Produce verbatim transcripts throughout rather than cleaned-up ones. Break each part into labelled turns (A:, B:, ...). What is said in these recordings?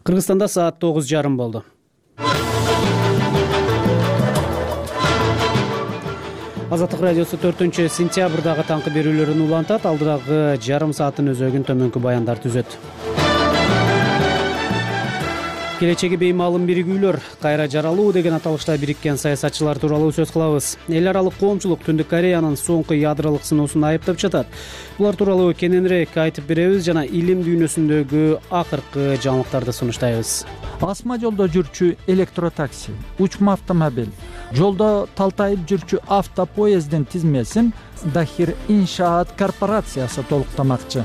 A: Кыргызстанда саат тогуз жарым болду. Азаттык радиосу төртүнчү сентябрдагы таңкы берүүлөрүн улантат. Алдыдагы жарым сааттын өзөгүн төмөнкү баяндар түзөт. Келечеги беймаалым биригүүлөр кайра жаралуу деген аталышта бириккен саясатчылар тууралуу сөз кылабыз. Эл аралык коомчулук Түндүк Кореянын соңку ядролук сыноосун айыптап жатат. Булар тууралуу кененирээк айтып беребиз жана илим дүйнөсүндөгү акыркы жаңылыктарды сунуштайбыз.
B: Асма жолдо жүрчү электротакси, учма автомобиль, жолдо талтайып жүрчү автопоезддин тизмесин Дахир Иншаат корпорациясы толуктамакчы.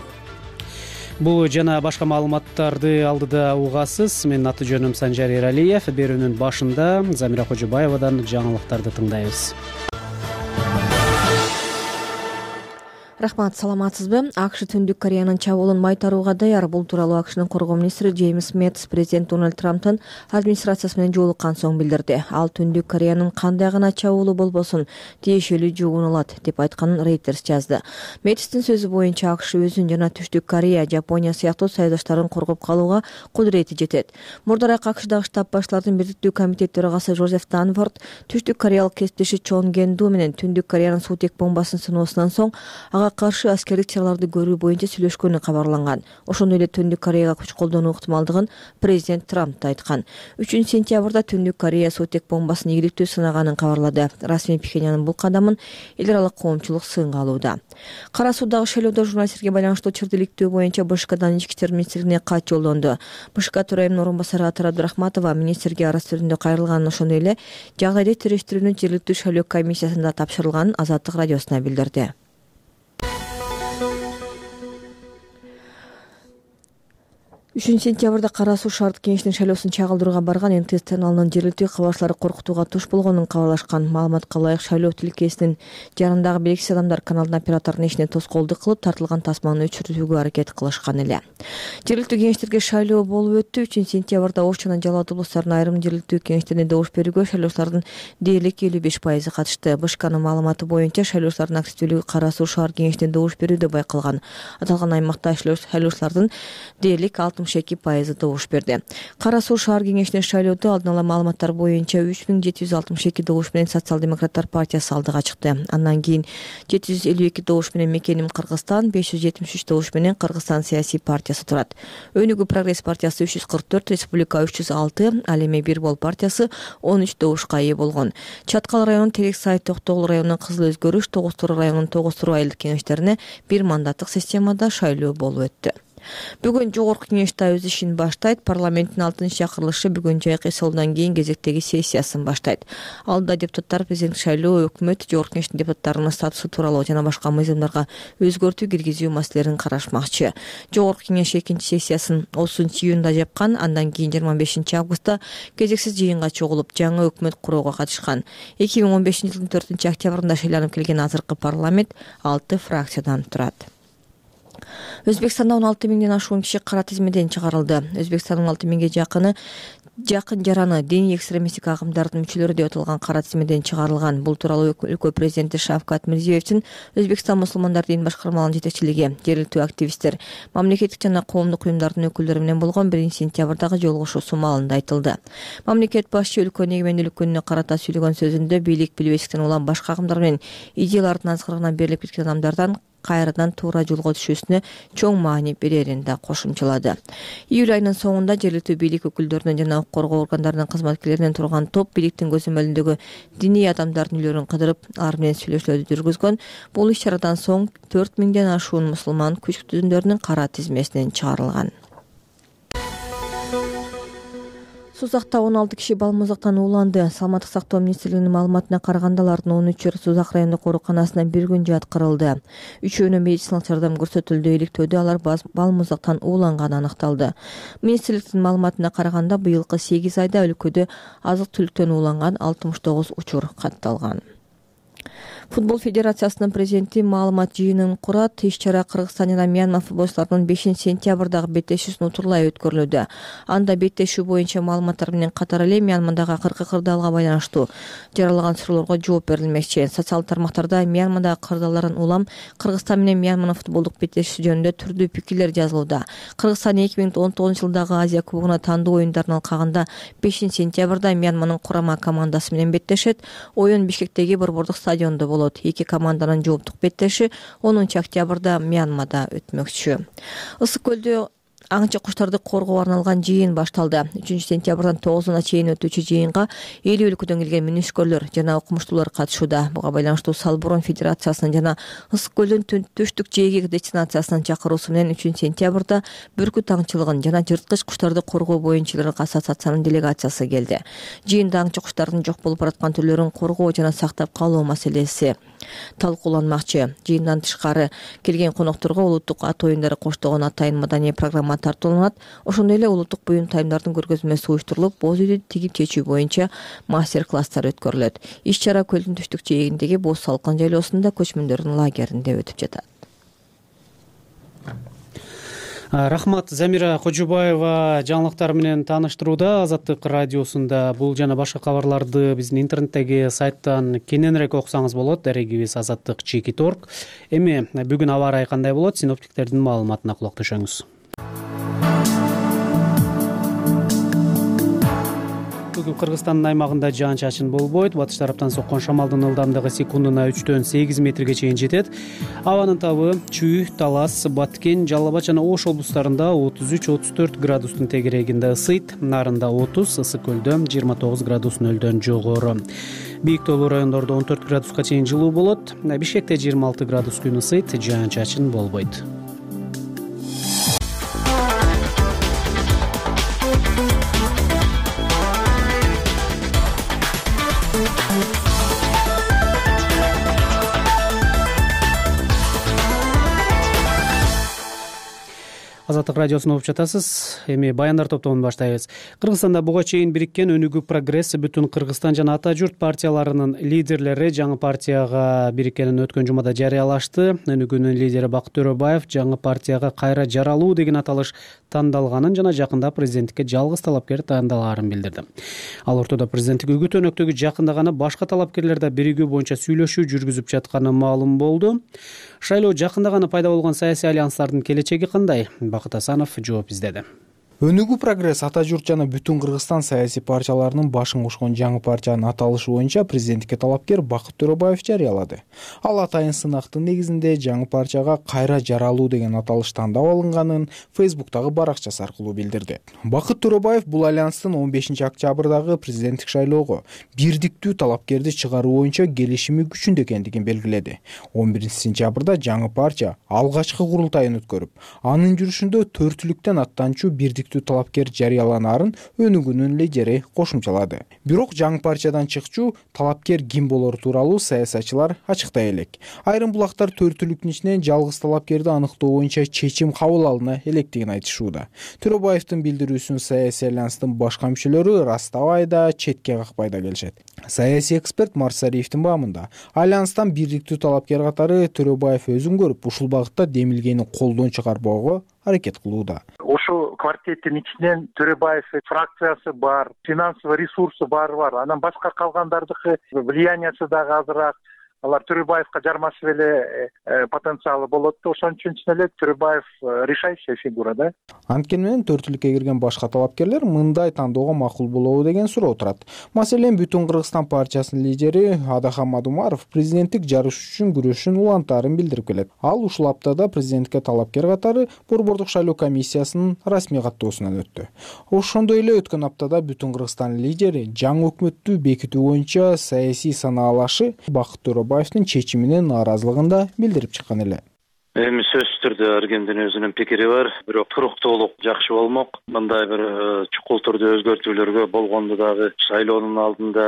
A: Бул жана башка маалыматтарды алдыда угасыз. Менин аты жөнүм Санжар Эралиев. Берүүнүн башында Замира Кожобаевадан жаңылыктарды тыңдайбыз.
C: Рахмат, саламатсызбы? АКШ Түндүк Кореянын чабуулун майтарууга даяр. Бул тууралуу АКШнын коргоо министри Джеймс Мэтс президент Дональд Трамптын администрациясы менен жолуккан соң билдирди. Ал Түндүк Кореянын кандай гана чабуулу болбосун тиешелүү жугунулат деп айтканын Reuters жазды. Мэтстин сөзү боюнча АКШ өзүн жана Түштүк Корея, Жапония сыяктуу союздаштарын коргоп калууга кудурети жетет. Мурдараак АКШдагы штаб баштарынын бирдиктүү комитет төрагасы Жозеф Данфорд Түштүк кореялык кесиптеши Чон Ген Ду менен Түндүк Кореянын суутек бомбасын сыноосунан соң ага каршы аскердик чараларды көрүү боюнча сүйлөшкөнү кабарланган. Ошондой эле Түндүк Кореяга күч колдонуу ыктымалдыгын президент Трамп айткан. үчүнчү сентябрда Түндүк Корея суутек бомбасын ийгиликтүү сынаганын кабарлады. Расмий Пхеньяндын бул кадамын эл аралык коомчулук сынга алууда. Кара Суудагы шайлоодо журналисттерге байланыштуу чырдиликтөө боюнча БШКдан ички иштер министрлигине кат жолдонду. БШК төрайымынын орун басары Атар Абдурахматова министрге арыз түрүндө кайрылганын, ошондой эле жагдайды териштирүүнүн жергиликтүү шайлоо комиссиясында тапшырылганын Азаттык радиосуна билдирди. үчүнчү сентябрда Кара Суу шаардык кеңешинин шайлоосун чагылдырууга барган эн тэ эс каналынын жергиликтүү кабарчылары коркутууга туш болгонун кабарлашкан. Маалыматка ылайык, шайлоо тилкесинин жарандагы белгисиз адамдар каналдын операторунун ишине тоскоолдук кылып, тартылган тасманы өчүрүүгө аракет кылышкан эле. Жергиликтүү кеңештерге шайлоо болуп өттү. үчүнчү сентябрда Ош жана Жалал Абад облустарынын айрым жергиликтүү кеңештерине добуш берүүгө шайлоочулардын дээрлик элүү беш пайызы катышты. БШКнын маалыматы боюнча шайлоочулардын активдүүлүгү Кара Суу шаар кеңешине добуш берүүдө байкалган. Аталган аймакта шайлоочулардын дээрлик алтымыш эки пайызы добуш берди. Кара Суу шаар кеңешине шайлоодо алдын ала маалыматтар боюнча үч миң жети жүз алтымыш эки добуш менен Социал-демократтар партиясы алдыга чыкты. Андан кийин жети жүз элүү эки добуш менен Мекеним Кыргызстан, беш жүз жетимиш үч добуш менен Кыргызстан саясий партиясы турат. Өнүгүү прогресс партиясы үч жүз кырк төрт, Республика үч жүз алты, ал эми Бир Бол партиясы он үч добушка ээ болгон. Чаткал районунун Терексай, Токтогул районунун Кызыл Өзгөрүш, Тогуз Туру районунун Тогуз Туру айылдык кеңештерине бир мандаттык системада шайлоо болуп өттү. Бүгүн жогорку кеңеш да өз ишин баштайт. Парламенттин алтынчы чакырылышы бүгүн жайкы эсеолдон кийин кезектеги сессиясын баштайт. Алда депутаттар президент шайлоо, өкмөт, жогорку кеңештин депутаттарынын статусу тууралуу жана башка мыйзамдарга өзгөртүү киргизүү маселелерин карашмакчы. Жогорку кеңеш экинчи сессиясын отузунчу июнда жапкан. Андан кийин жыйырма бешинчи августта кезексиз жыйынга чогулуп, жаңы өкмөт курууга катышкан. эки миң он бешинчи жылдын төртүнчү октябрында шайланып келген азыркы парламент алты фракциядан турат. Өзбекстанда он алты миңден ашуун киши кара тизмеден чыгарылды. Өзбекстандын он алты миңге жакыны жакын жараны диний экстремисттик агымдардын мүчөлөрү деп аталган кара тизмеден чыгарылган. Бул тууралуу өлкө президенти Шавкат Мирзиёевдин Өзбекстан мусулмандар дин башкармаларынын жетекчилиги, жергиликтүү активисттер, мамлекеттик жана коомдук уюмдардын өкүлдөрү менен болгон биринчи сентябрдагы жолугушуусу маалында айтылды. Мамлекет башчы өлкөнүн эгемендүүлүк күнүнө карата сүйлөгөн сөзүндө бийлик билбестиктен улам башка агымдар менен идеялардын азгырыгына берилип кеткен адамдардан кайрадан туура жолго түшүүсүнө чоң маани берерин да кошумчалады. Июль айынын соңунда жергиликтүү бийлик өкүлдөрүнөн жана укук коргоо органдарынын кызматкерлеринен турган топ бийликтин көзөмөлүндөгү диний адамдардын үйлөрүн кыдырып, алар менен сүйлөшүүлөрдү жүргүзгөн. Бул иш-чарадан соң төрт миңден ашуун мусулман күч түзүмдөрүнүн кара тизмесинен чыгарылган. Сузакта он алты киши балмуздактан ууланды. Саламаттык сактоо министрлигинин маалыматына караганда алардын он үчөө Сузак райондук ооруканасына бир күн жаткырылды. Үчөөнө медициналык жардам көрсөтүлдү. Иликтөөдө алар балмуздактан ууланганы аныкталды. Министрликтин маалыматына караганда быйылкы сегиз айда өлкөдө азык түлүктөн ууланган алтымыш тогуз учур катталган. Футбол федерациясынын президенти маалымат жыйынын курат. Иш-чара Кыргызстан жана Мьянма футболчуларынын бешинчи сентябрдагы беттешүүсүн утурлай өткөрүлүүдө. Анда беттешүү боюнча маалыматтар менен катар эле Мьянмадагы акыркы кырдаалга байланыштуу жаралган суроолорго жооп берилмекчи. Социалдык тармактарда Мьянмадагы кырдаалдарын улам Кыргызстан менен Мьянманын футболдук беттешүүсү жөнүндө түрдүү пикирлер жазылууда. Кыргызстан эки миң он тогузунчу жылдагы Азия кубогуна тандоо оюндарына алкагында бешинчи сентябрда Мьянманын курама командасы менен беттешет. Оюн Бишкектеги борбордук стадиондо болот. Эки команданын жооптук беттеши онунчу октябрда Мьянмада өтмөкчү. Ысык көлдө аңчы куштарды коргоого арналган жыйын башталды. үчүнчү сентябрдан тогузуна чейин өтүүчү жыйынга элүү өлкөдөн келген мүнөшкөрлөр жана окумуштуулар катышууда. Буга байланыштуу Салбурун Федерациясынын жана Ысык көлдүн түштүк жээги дестинациясынын чакыруусу менен үчүнчү сентябрда бүркүт аңчылыгын жана жырткыч куштарды коргоо боюнча ассоциациянын делегациясы келди. Жыйында аңчы куштардын жок болуп бараткан түрлөрүн коргоо жана сактап калуу маселеси талкууланмакчы. Жыйындан тышкары келген конокторго улуттук ат оюндары коштогон атайын маданий программа тартууланат. Ошондой эле улуттук буюм тайымдардын көргөзмөсү уюштурулуп, боз үйдү тигип чечүү боюнча мастер-класстар өткөрүлөт. Иш-чара көлдүн түштүк жээгиндеги Боз Салкын жайлоосунда көчмөндөрдүн лагеринде өтүп жатат.
A: Рахмат, Замира Кожубаева жаңылыктар менен тааныштырууда. Азаттык радиосунда бул жана башка кабарларды биздин интернеттеги сайттан кененирээк окусаңыз болот. Дарегибиз азаттык чекит точка орг. Эми бүгүн аба ырайы кандай болот? Синоптиктердин маалыматына кулак төшөңүз. Бүгүн Кыргызстандын аймагында жаан-чачын болбойт. Батыш тараптан соккон шамалдын ылдамдыгы секундуна үчтөн сегиз метрге чейин жетет. Абанын табы Чүй, Талас, Баткен, Жалал Абад жана Ош облустарында отуз үч отуз төрт градустун тегерегинде ысыйт. Нарында отуз, Ысык көлдө жыйырма тогуз градус нөлдөн жогору. Бийик тоолуу райондордо он төрт градуска чейин жылуу болот. Бишкекте жыйырма алты градус күн ысыйт, жаан-чачын болбойт. Азаттык радиосун угуп жатасыз. Эми баяндар топтомун баштайбыз. Кыргызстанда буга чейин бириккен Өнүгүү Прогресс, Бүтүн Кыргызстан жана Ата журт партияларынын лидерлери жаңы партияга бириккенин өткөн жумада жарыялашты. Өнүгүүнүн лидери Бакыт Төрөбаев жаңы партияга кайра жаралуу деген аталыш тандалганын жана жакында президенттикке жалгыз талапкер тандалаарын билдирди. Ал ортодо президенттик үгүт өнөктөгү жакында гана башка талапкерлер да биригүү боюнча сүйлөшүү жүргүзүп жатканы маалым болду. Шайлоо жакында гана пайда болгон саясий альянстардын келечеги кандай? Бакыт Асанов жооп издеди.
D: Өнүгүү Прогресс, Ата журт жана Бүтүн Кыргызстан саясий партияларынын башын кошкон жаңы партиянын аталышы боюнча президенттикке талапкер Бакыт Төрөбаев жарыялады. Ал атайын сынактын негизинде жаңы партияга кайра жаралуу деген аталыш тандап алынганын Фейсбуктагы баракчасы аркылуу билдирди. Бакыт Төрөбаев бул альянстын он бешинчи октябрдагы президенттик шайлоого бирдиктүү талапкерди чыгаруу боюнча келишими күчүндө экендигин белгиледи. он биринчи сентябрда жаңы партия алгачкы курултайын өткөрүп, анын жүрүшүндө төртүлүктөн аттанчу бирдик талапкер жарыяланаарын Өнүгүүнүн лидери кошумчалады. Бирок жаңы партиядан чыкчу талапкер ким болору тууралуу саясатчылар ачыктай элек. Айрым булактар төртүлүктүн ичинен жалгыз талапкерди аныктоо боюнча чечим кабыл алына электигин айтышууда. Төрөбаевдин билдирүүсүн саясий альянстын башка мүчөлөрү ырастабай да, четке какпай да келишет. Саясий эксперт Марсариевдин баамында альянстан бирдиктүү талапкер катары Төрөбаев өзүн көрүп, ушул багытта демилгени колдон чыгарбоого аракет кылууда.
E: Ошол квартеттин ичинен Төрөбаев фракциясы бар, финансовый ресурсу баары бар. Анан башка калгандардыкы влияниясы дагы азыраак. Алар Төрөбаевка жармашып эле потенциалы болот да, ошон үчүн эле Төрөбаев решающая фигура да.
D: Анткени менен төртүлүккө кирген башка талапкерлер мындай тандоого макул болобу деген суроо турат. Маселен, Бүтүн Кыргызстан партиясынын лидери Адахан Мадумаров президенттик жарыш үчүн күрөшүн улантаарын билдирип келет. Ал ушул аптада президенттикке талапкер катары борбордук шайлоо комиссиясынын расмий каттоосунан өттү. Ошондой эле өткөн аптада Бүтүн Кыргызстан лидери жаңы өкмөттү бекитүү боюнча саясий санаалашы Бакыт Төрөбаевдин чечимине нааразылыгын да билдирип чыккан эле.
F: Эми сөзсүз түрдө ар кимдин өзүнүн пикири бар, бирок туруктуулук жакшы болмок. Мындай бир чукул түрдө өзгөртүүлөргө болгондо дагы шайлоонун алдында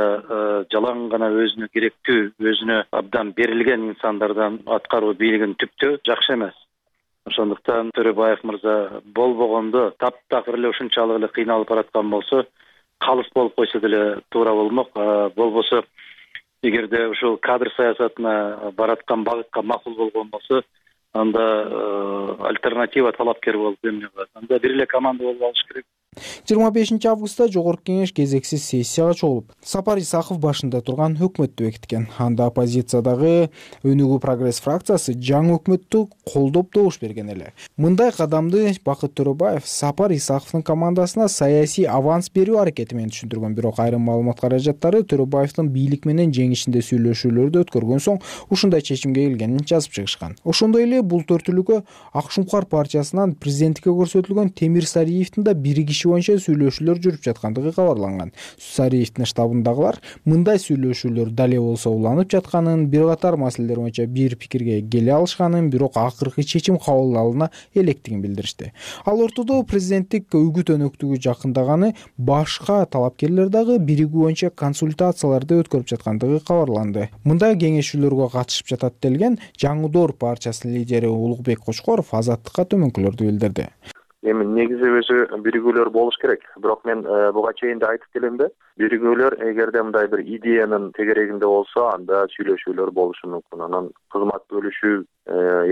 F: жалаң гана өзүнө керектүү, өзүнө абдан берилген инсандардан аткаруу бийлигин түптөө жакшы эмес. Ошондуктан Төрөбаев мырза болбогондо таптакыр эле ушунчалык эле кыйналып бараткан болсо, калыс болуп койсо деле туура болмок. Болбосо эгерде ушул кадр саясатына бараткан багытка макул болгон болсо, анда альтернатива талапкер болуп эмне кылат? Анда бир эле команда болуп алыш керек.
D: жыйырма бешинчи августта жогорку кеңеш кезексиз сессияга чогулуп, Сапар Исаков башында турган өкмөттү бекиткен. Анда оппозициядагы Өнүгүү прогресс фракциясы жаңы өкмөттү колдоп добуш берген эле. Мындай кадамды Бакыт Төрөбаев Сапар Исаковдун командасына саясий аванс берүү аракети менен түшүндүргөн. Бирок айрым маалымат каражаттары Төрөбаевдин бийлик менен жеңишинде сүйлөшүүлөрдү өткөргөн соң ушундай чечимге келгенин жазып чыгышкан. Ошондой эле бул төртүлүккө Ак Шуңкар партиясынан президенттикке көрсөтүлгөн Темир Сариевдин да бир киши боюнча сүйлөшүүлөр жүрүп жаткандыгы кабарланган. Сариевдин штабындагылар мындай сүйлөшүүлөр дале болсо уланып жатканын, бир катар маселелер боюнча бир пикирге келе алышканын, бирок акыркы чечим кабыл алына электигин билдиришти. Ал ортодо президенттик үгүт өнөктүгү жакындаганы, башка талапкерлер дагы биригүү боюнча консультацияларды өткөрүп жаткандыгы кабарланды. Мындай кеңешүүлөргө катышып жатат делген Жаңы партиясынын лидери Улукбек Кочкоров Азаттыкка төмөнкүлөрдү билдирди.
G: Эми негизи өзү биригүүлөр болуш керек. Бирок мен буга чейин да айтып келем да, биригүүлөр эгерде мындай бир идеянын тегерегинде болсо, анда сүйлөшүүлөр болушу мүмкүн. Анан кызмат бөлүшүү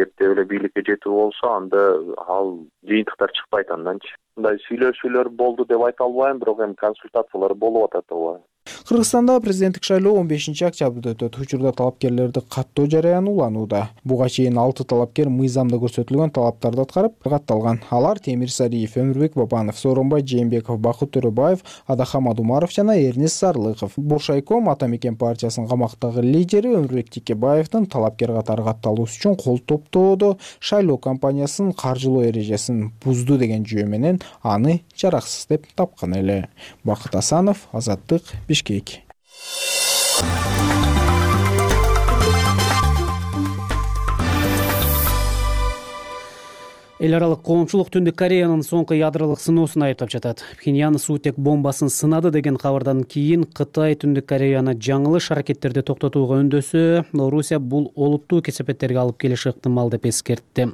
G: эрте эле бийликке жетүү болсо, анда ал жыйынтыктар чыкпайт анданчы. Мындай сүйлөшүүлөр болду деп айта албайм, бирок эми консультациялар болуп атат албайм.
D: Кыргызстанда президенттик шайлоо он бешинчи октябрда өтөт. Учурда талапкерлерди каттоо жарыяны уланууда. Буга чейин алты талапкер мыйзамда көрсөтүлгөн талаптарды аткарып катталган. Алар Темир Сариев, Өмүрбек Бабанов, Сооронбай Жээнбеков, Бакыт Төрөбаев, Адахам Адумаров жана Эрнест Сарлыков. Бошайком Ата Мекен партиясынын камактагы лидери Өмүрбек Тикебаевдин талапкер катары катталуусу үчүн кол топтоодо шайлоо кампаниясынын каржылоо эрежесин бузду деген жүйө менен аны жараксыз деп тапкан эле. Бакыт Асанов, Азаттык, Бишкек.
A: Эл аралык коомчулук Түндүк Кореянын соңку ядролук сыноосун айыптап жатат. Пхеньян суутек бомбасын сынады деген кабардан кийин Кытай Түндүк Кореяны жаңылыш аракеттерди токтотууга үндөсө, Орусия бул олуттуу кесепеттерге алып келиши ыктымал деп эскертти.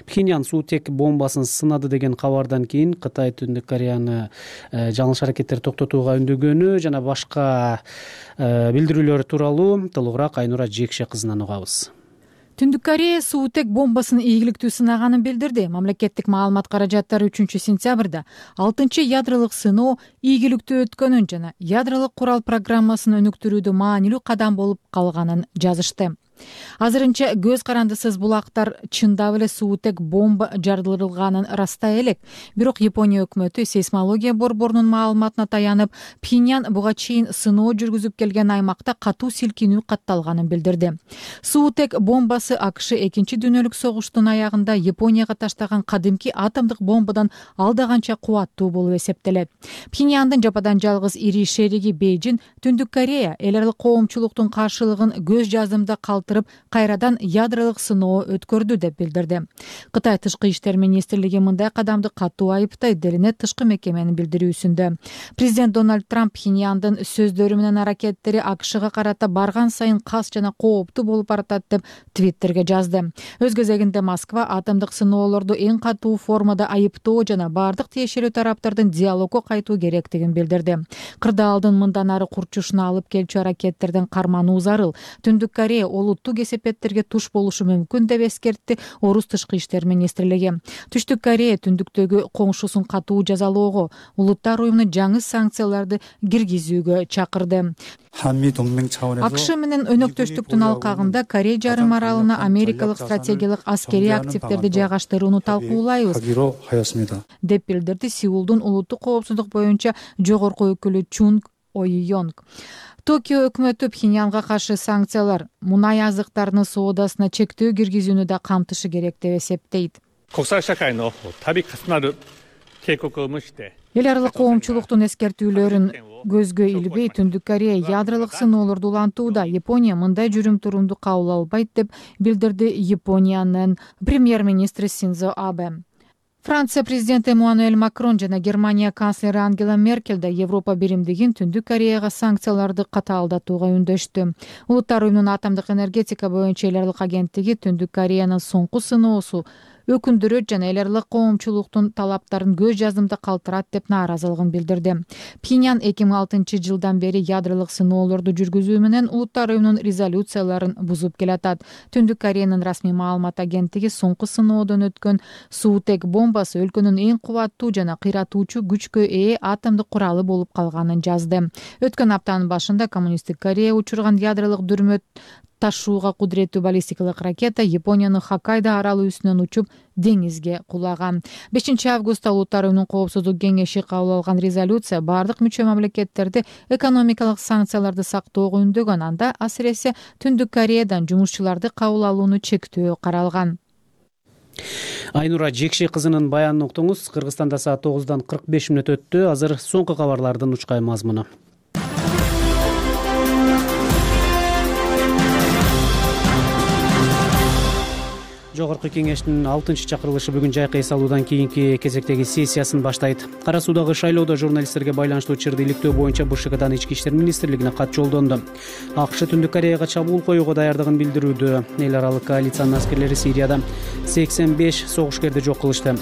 A: Пхеньян суутек бомбасын сынады деген кабардан кийин Кытай Түндүк Кореяны жаңылыш аракеттерди токтотууга үндөгөнү жана башка билдирүүлөр тууралуу толугураак Айнура Жекше кызынан угабыз.
H: Түндүк Корея суутек бомбасын ийгиликтүү сынаганын билдирди. Мамлекеттик маалымат каражаттары үчүнчү сентябрда алтынчы ядролук сыноо ийгиликтүү өткөнүн жана ядролук курал программасын өнүктүрүүдө маанилүү кадам болуп калганын жазышты. Азырынча көз карандысыз булактар чындап эле суутек бомба жарылдырылганын растай элек. Бирок Япония өкмөтү сейсмология борборунун маалыматына таянып, Пхеньян буга чейин сыноо жүргүзүп келген аймакта катуу силкинүү катталганын билдирди. Суутек бомбасы АКШ экинчи дүйнөлүк согуштун аягында Японияга таштаган кадимки атомдук бомбадан алда канча кубаттуу болуп эсептелет. Пхеньяндын жападан жалгыз ири шериги Бейжин Түндүк Корея эл аралык коомчулуктун каршылыгын көз жазымда калтырып, кайрадан ядролук сыноо өткөрдү деп билдирди. Кытай тышкы иштер министрлиги мындай кадамды катуу айыптайт делинет тышкы мекеменин билдирүүсүндө. Президент Дональд Трамп Пхеньяндын сөздөрү менен аракеттери АКШга карата барган сайын кас жана кооптуу болуп баратат деп Твиттерге жазды. Өз кезегинде Москва атомдук сыноолорду эң катуу формада айыптоо жана бардык тиешелүү тараптардын диалогго кайтуу керектигин билдирди. Кырдаалдын мындан ары курчушуна алып келчү аракеттерден кармануу зарыл. Түндүк Корея олуттуу кесепеттерге туш болушу мүмкүн деп эскертти Орус тышкы иштер министрлиги. Түштүк Корея түндүктөгү коңшусун катуу жазалоого, улуттар уюмуна жаңы санкцияларды киргизүүгө чакырды. АКШ менен өнөктөштүктүн алкагында Корея жарым аралына америкалык стратегиялык аскерий активдерди жайгаштырууну талкуулайбыз деп билдирди Сеулдун улуттук коопсуздук боюнча жогорку өкүлү Чун Ойюнг. Токио өкмөтү Пхеньянга каршы санкциялар мунай азыктарынын соодасына чектөө киргизүүнү да камтышы керек деп эсептейт. Эл аралык коомчулуктун эскертүүлөрүн көзгө илбей Түндүк Корея ядролук сыноолорду улантууда. Япония мындай жүрүм-турумду кабыл албайт деп билдирди Япониянын премьер-министри Синдзо Абе. Франция президенти Эммануэль Макрон жана Германия канцлери Ангела Меркель да Европа биримдигин Түндүк Кореяга санкцияларды катаалдатууга үндөштү. Улуттар уюмунун атомдук энергетика боюнча эл аралык агенттиги Түндүк Кореянын соңку сыноосу өкүндүрөт жана эл аралык коомчулуктун талаптарын көз жаздымда калтырат деп нааразылыгын билдирди. Пхеньян эки миң алтынчы жылдан бери ядролук сыноолорду жүргүзүү менен Улуттар уюмунун резолюцияларын бузуп келатат. Түндүк Кореянын расмий маалымат агенттиги соңку сыноодон өткөн суутек бомбасы өлкөнүн эң кубаттуу жана кыйратуучу күчкө ээ атомдук куралы болуп калганын жазды. Өткөн аптанын башында коммунисттик Корея учурган ядролук дүрмөт ташууга кудуреттүү баллистикалык ракета Япониянын Хоккайдо аралы үстүнөн учуп деңизге кулаган. бешинчи августта Улуттар уюмунун коопсуздук кеңеши кабыл алган резолюция бардык мүчө мамлекеттерди экономикалык санкцияларды сактоого үндөгөн, анда асыресе Түндүк Кореядан жумушчуларды кабыл алууну чектөө каралган.
A: Айнура Жекши кызынын баянын уктуңуз. Кыргызстанда саат тогуздан кырк беш мүнөт өттү. Азыр соңку кабарлардын учкай мазмуну. Жогорку кеңештин алтынчы чакырылышы бүгүн жайкы эс алуудан кийинки кезектеги сессиясын баштайт. Кара Суудагы шайлоодо журналисттерге байланыштуу чырды иликтөө боюнча Б Ш Кдан Ички иштер министрлигине кат жолдонду. АКШ Түндүк Кореяга чабуул коюуга даярдыгын билдирүүдө. Эл аралык коалициянын аскерлери Сирияда сексен беш согушкерди жок кылышты.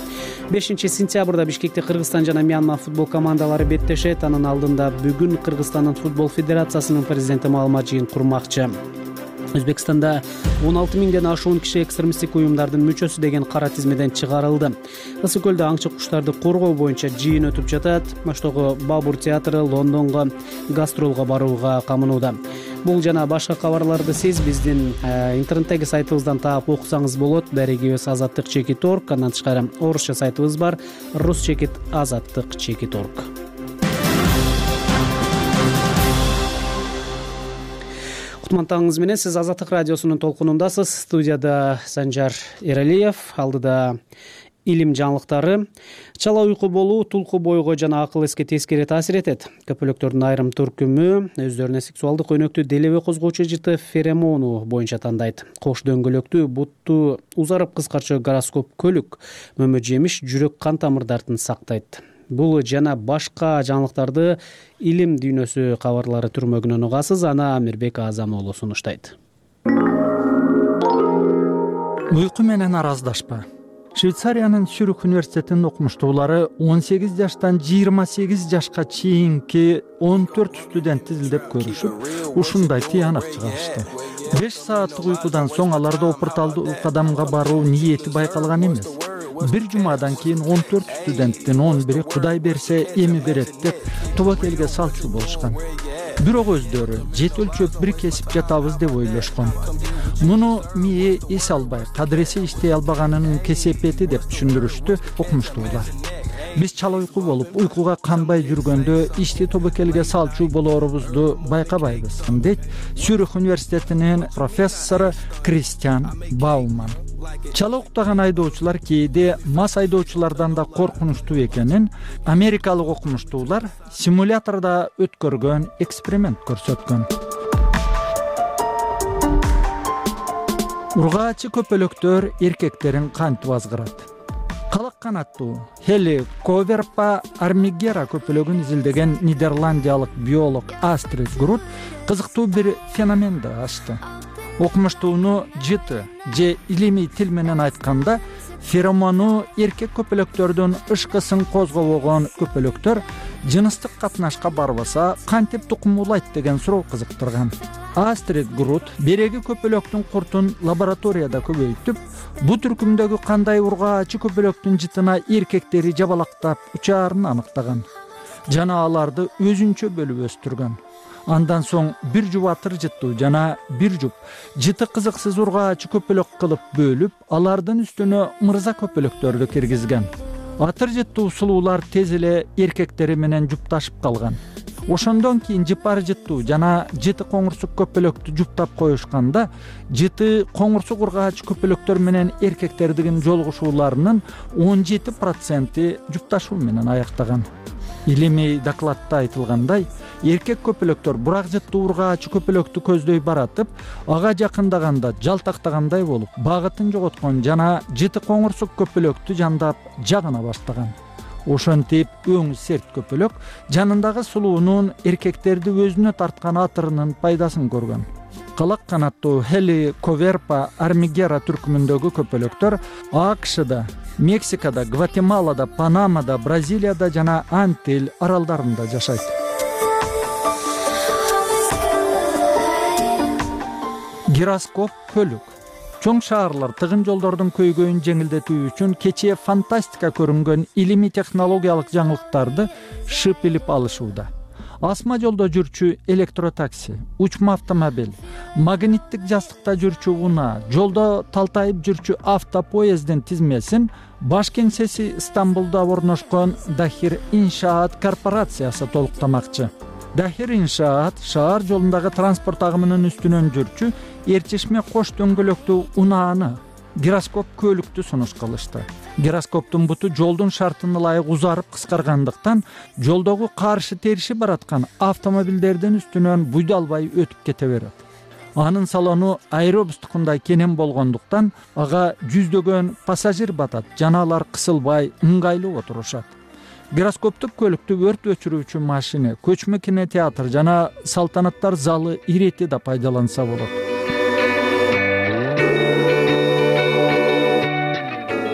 A: бешинчи сентябрда Бишкекте Кыргызстан жана Мьянма футбол командалары беттешет. Анын алдында бүгүн Кыргызстандын футбол федерациясынын президенти маалымат жыйын курмакчы. Өзбекстанда он алты миңден ашуун киши экстремисттик уюмдардын мүчөсү деген кара тизмеден чыгарылды. Ысык көлдө аңчы куштарды коргоо боюнча жыйын өтүп жатат. Оштогу Бабур театры Лондонго гастролго барууга камынууда. Бул жана башка кабарларды сиз биздин интернеттеги сайтыбыздан таап окусаңыз болот. Дарегибиз азаттык чекит орг, андан тышкары орусча сайтыбыз бар, рус чекит азаттык чекит орг. Кутмантаңыз менен сиз Азаттык радиосунун толкунундасыз. Студияда Санжар Эралиев, алдыда илим жаңылыктары. Чала уйку болуу тулку бойго жана акыл эске тескери таасир этет. Көпөлөктөрдүн айрым түркүмү өздөрүнө сексуалдык өнөктү делебе козгоочу жыты феромону боюнча тандайт. Кош дөңгөлөктүү, бутту узарып кыскарча гороскоп көлүк, мөмө жемиш жүрөк кан тамырдарын сактайт. Бул жана башка жаңылыктарды илим дүйнөсү кабарлары түрмөгүнөн угасыз. Ана Мирбек Азам уулу сунуштайт.
B: Уйку менен араздашпа. Швейцариянын Цюрих университетинин окумуштуулары он сегиз жаштан жыйырма сегиз жашка чейинки он төрт студентти изилдеп көрүшүп, ушундай тыянак чыгарышты. беш сааттык уйкудан соң аларда опурталдуу кадамга баруу ниети байкалган эмес. Бир жумадан кийин он төрт студенттин он бири Кудай берсе эми берет деп тобокелге салчу болушкан. Бирок өздөрү жет өлчөп бир кесип жатабыз деп ойлошкон. Муну мээ эс албай, кадыресе иштей албаганынын кесепети деп түшүндүрүштү окумуштуулар. Биз чала уйку болуп, уйкуга канбай жүргөндө ишти тобокелге салчу болоорубузду байкабайбыз, дейт Цюрих университетинин профессору Кристиан Бауман. Чала уктаган айдоочулар кээде мас айдоочулардан да коркунучтуу экенин америкалык окумуштуулар симулятордо өткөргөн эксперимент көрсөткөн. Ургаачы көпөлөктөр эркектерин кантип азгырат? Калак канаттуу Helicoverpa armigera көпөлөгүн изилдеген нидерландиялык биолог Астрид Грут кызыктуу бир феноменди ачты. Окумуштууну жыты же илимий тил менен айтканда феромону эркек көпөлөктөрдүн ышкысын козгобогон көпөлөктөр жыныстык катнашка барбаса кантип тукум улайт деген суроо кызыктырган. Астрид Грут береги көпөлөктүн куртун лабораторияда көбөйтүп, бу түркүмдөгү кандай ургаачы көпөлөктүн жытына эркектери жабалактап учаарын аныктаган. Жана аларды өзүнчө бөлүп өстүргөн. Андан соң бир жуп атыр жыттуу жана бир жуп жыты кызыксыз ургаачы көпөлөк кылып бөлүп, алардын үстүнө мырза көпөлөктөрдү киргизген. Атыр жыттуу сулуулар тез эле эркектери менен жупташып калган. Ошондон кийин жыпар жыттуу жана жыты коңурсук көпөлөктү жуптап коюшканда, жыты коңурсук ургаачы көпөлөктөр менен эркектердин жолугушууларынын он жети проценти жупташуу менен аяктаган. Илимий докладта айтылгандай, эркек көпөлөктөр бурак жыттуу ургаачы көпөлөктү көздөй баратып, ага жакындаганда жалтактагандай болуп, багытын жоготкон жана жыты коңурсук көпөлөктү жандап жагына баштаган. Ошентип өң серт көпөлөк жанындагы сулуунун эркектерди өзүнө тарткан атырынын пайдасын көргөн. калак канаттуу хеликоверпа армигера түркүмүндөгү көпөлөктөр АКШда, Мексикада, Гватемалада, Панамада, Бразилияда жана Антиль аралдарында жашайт. Гироскоп көлүк. Чоң шаарлар тыгын жолдордун көйгөйүн жеңилдетүү үчүн кечээ фантастика көрүнгөн илимий технологиялык жаңылыктарды шып илип алышууда. Асма жолдо жүрчү электротакси, учма автомобиль, магниттик жастыкта жүрчү унаа, жолдо талтайып жүрчү автопоездин тизмесин баш кеңсеси Стамбулда орношкон Дахир Иншаат корпорациясы толуктамакчы. Дахир Иншаат шаар жолундагы транспорт агымынын үстүнөн жүрчү эрчишме кош дөңгөлөктүү унааны, гироскоп көлүктү сунуш кылышты. Гироскоптун буту жолдун шартына ылайык узарып кыскаргандыктан жолдогу каршы териши бараткан автомобилдердин үстүнөн буйдалбай өтүп кете берет. Анын салону аэробустукундай кенен болгондуктан ага жүздөгөн пассажир батат, жана алар кысылбай ыңгайлуу отурушат. Гироскоптук көлүктү өрт өчүрүүчү машина, көчмө кинотеатр жана салтанаттар залы ирети да пайдаланса болот.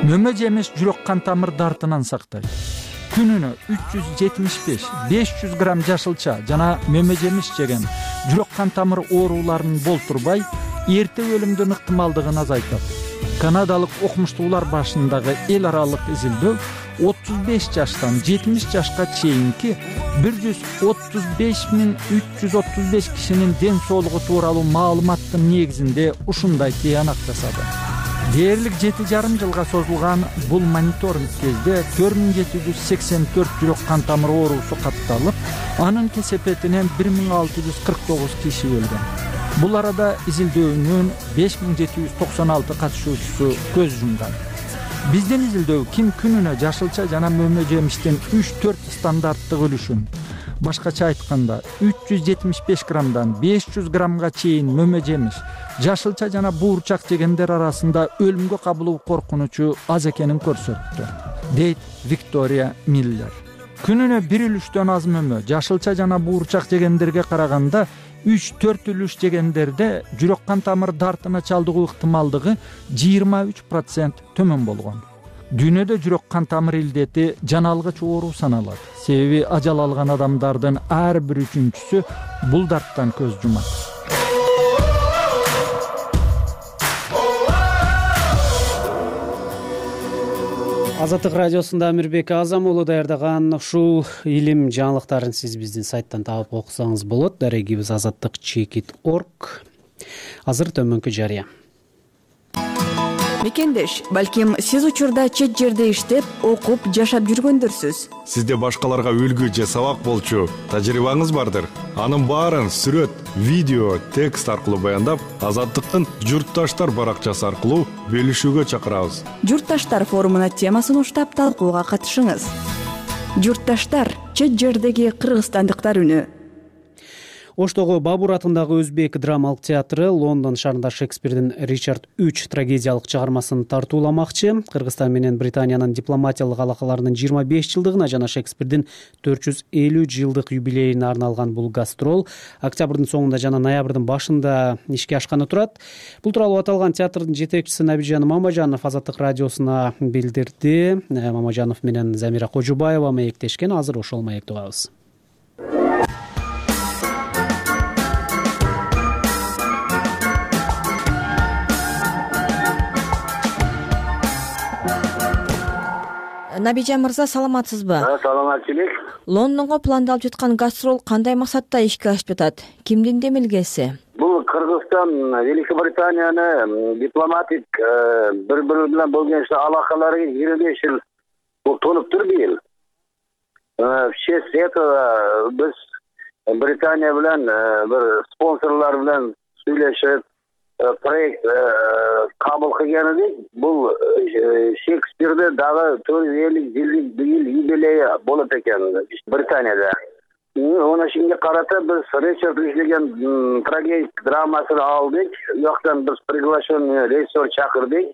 B: Мөмө жемиш жүрөк кан тамыр дартынан сактайт. Күнүнө үч жүз жетимиш беш — беш жүз грамм жашылча жана мөмө жемиш жеген жүрөк кан тамыр ооруларын болтурбай, эрте өлүмдүн ыктымалдыгын азайтат. Канадалык окумуштуулар башындагы эл аралык изилдөө отуз беш жаштан жетимиш жашка чейинки бир жүз отуз беш миң үч жүз отуз беш кишинин ден соолугу тууралуу маалыматтын негизинде ушундай тыянак жасады. Дээрлик жети жарым жылга созулган бул мониторинг кезде төрт миң жети жүз сексен төрт жүрөк кан тамыр оорусу катталып, анын кесепетинен бир миң алты жүз кырк тогуз киши өлгөн. Бул арада изилдөөнүн беш миң жети жүз токсон алты катышуучусу көз жумган. Биздин изилдөө ким күнүнө жашылча жана мөмө жемиштин үч төрт стандарттык үлүшүн, башкача айтканда үч жүз жетимиш беш граммдан беш жүз граммга чейин мөмө жемиш, жашылча жана буурчак жегендер арасында өлүмгө кабылуу коркунучу аз экенин көрсөттү, дейт Виктория Миллер. Күнүнө бир үлүштөн аз мөмө, жашылча жана буурчак жегендерге караганда үч төрт үлүш жегендерде жүрөк кан тамыр дартына чалдыгуу ыктымалдыгы жыйырма үч процент төмөн болгон. Дүйнөдө жүрөк кан тамыр илдети жана алгыч оору саналат. Себеби ажал алган адамдардын ар бир үчүнчүсү бул дарттан көз жумат.
A: Азаттык радиосунда Амирбек Азам уулу даярдаган ушул илим жаңылыктарын сиз биздин сайттан таап окусаңыз болот. Дарегибиз азаттык чекит точка орг. Азыр төмөнкү жарыя.
I: Мекендеш, балким сиз учурда чет жерде иштеп, окуп, жашап жүргөндөрсүз.
J: Сизде башкаларга үлгү же сабак болчу тажрыйбаңыз бардыр. Анын баарын сүрөт, видео, текст аркылуу баяндап, Азаттыктын Журтташтар баракчасы аркылуу бөлүшүүгө чакырабыз.
I: Журтташтар форумуна темасын уштап талкууга катышыңыз. Журтташтар — чет жердеги кыргызстандыктар үнү.
A: Оштогу Бабур атындагы Өзбек драмалык театры Лондон шаарында Шекспирдин Ричард үч трагедиялык чыгармасын тартууламакчы. Кыргызстан менен Британиянын дипломатиялык алакаларынын жыйырма беш жылдыгына жана Шекспирдин төрт жүз элүү жылдык юбилейине арналган бул гастрол октябрдын соңунда жана ноябрдын башында ишке ашканы турат. Бул тууралуу аталган театрдын жетекчиси Набижан Мамажанов Азаттык радиосуна билдирди. Мамажанов менен Замира Кожубаева маектешкен. Азыр ошол маекти угабыз.
C: Набижан мырза, саламатсызбы?
K: Саламатчылык.
C: Лондонго пландалып жаткан гастрол кандай максатта ишке ашып жатат? Кимдин демилгеси?
K: Бул Кыргызстан Великобританияны дипломатик бири-бири менен болгон алакалары жыйырма беш жыл толуптур быйыл. В честь этого биз Британия менен бир спонсорлор менен сүйлөшүп проект кабыл кылган эдик. Бул Шекспирде дагы төрт жүз элүү жылдык быйыл юбилейи болот экен Британияда. Оны ошонго карата биз Ричард иштеген трагедик драмасын алдык. Уяктан биз приглашенный режиссер чакырдык.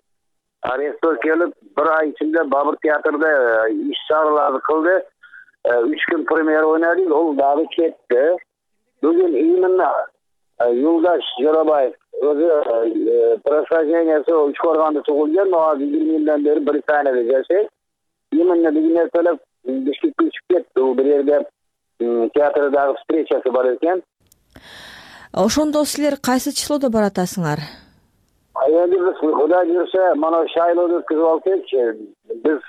K: Режиссер келип бир ай ичинде Бабур театрда иш чараларды кылды. Үч күн премьера ойнадык, ол дагы кетти. Бүгүн именно Юлдаш Жоробаев өзү происхождениясы Учкорганда туулган, азыр yirmi жылдан бери Британияда жашайт. Именно бир нерселер Бишкекке учуп кетти. Бул бир жерде театрдагы встречасы бар экен.
C: Ошондо силер кайсы числодо баратасыңар?
K: Эми биз Кудай жүрсө, мына шайлоону өткүзүп алсакчы, биз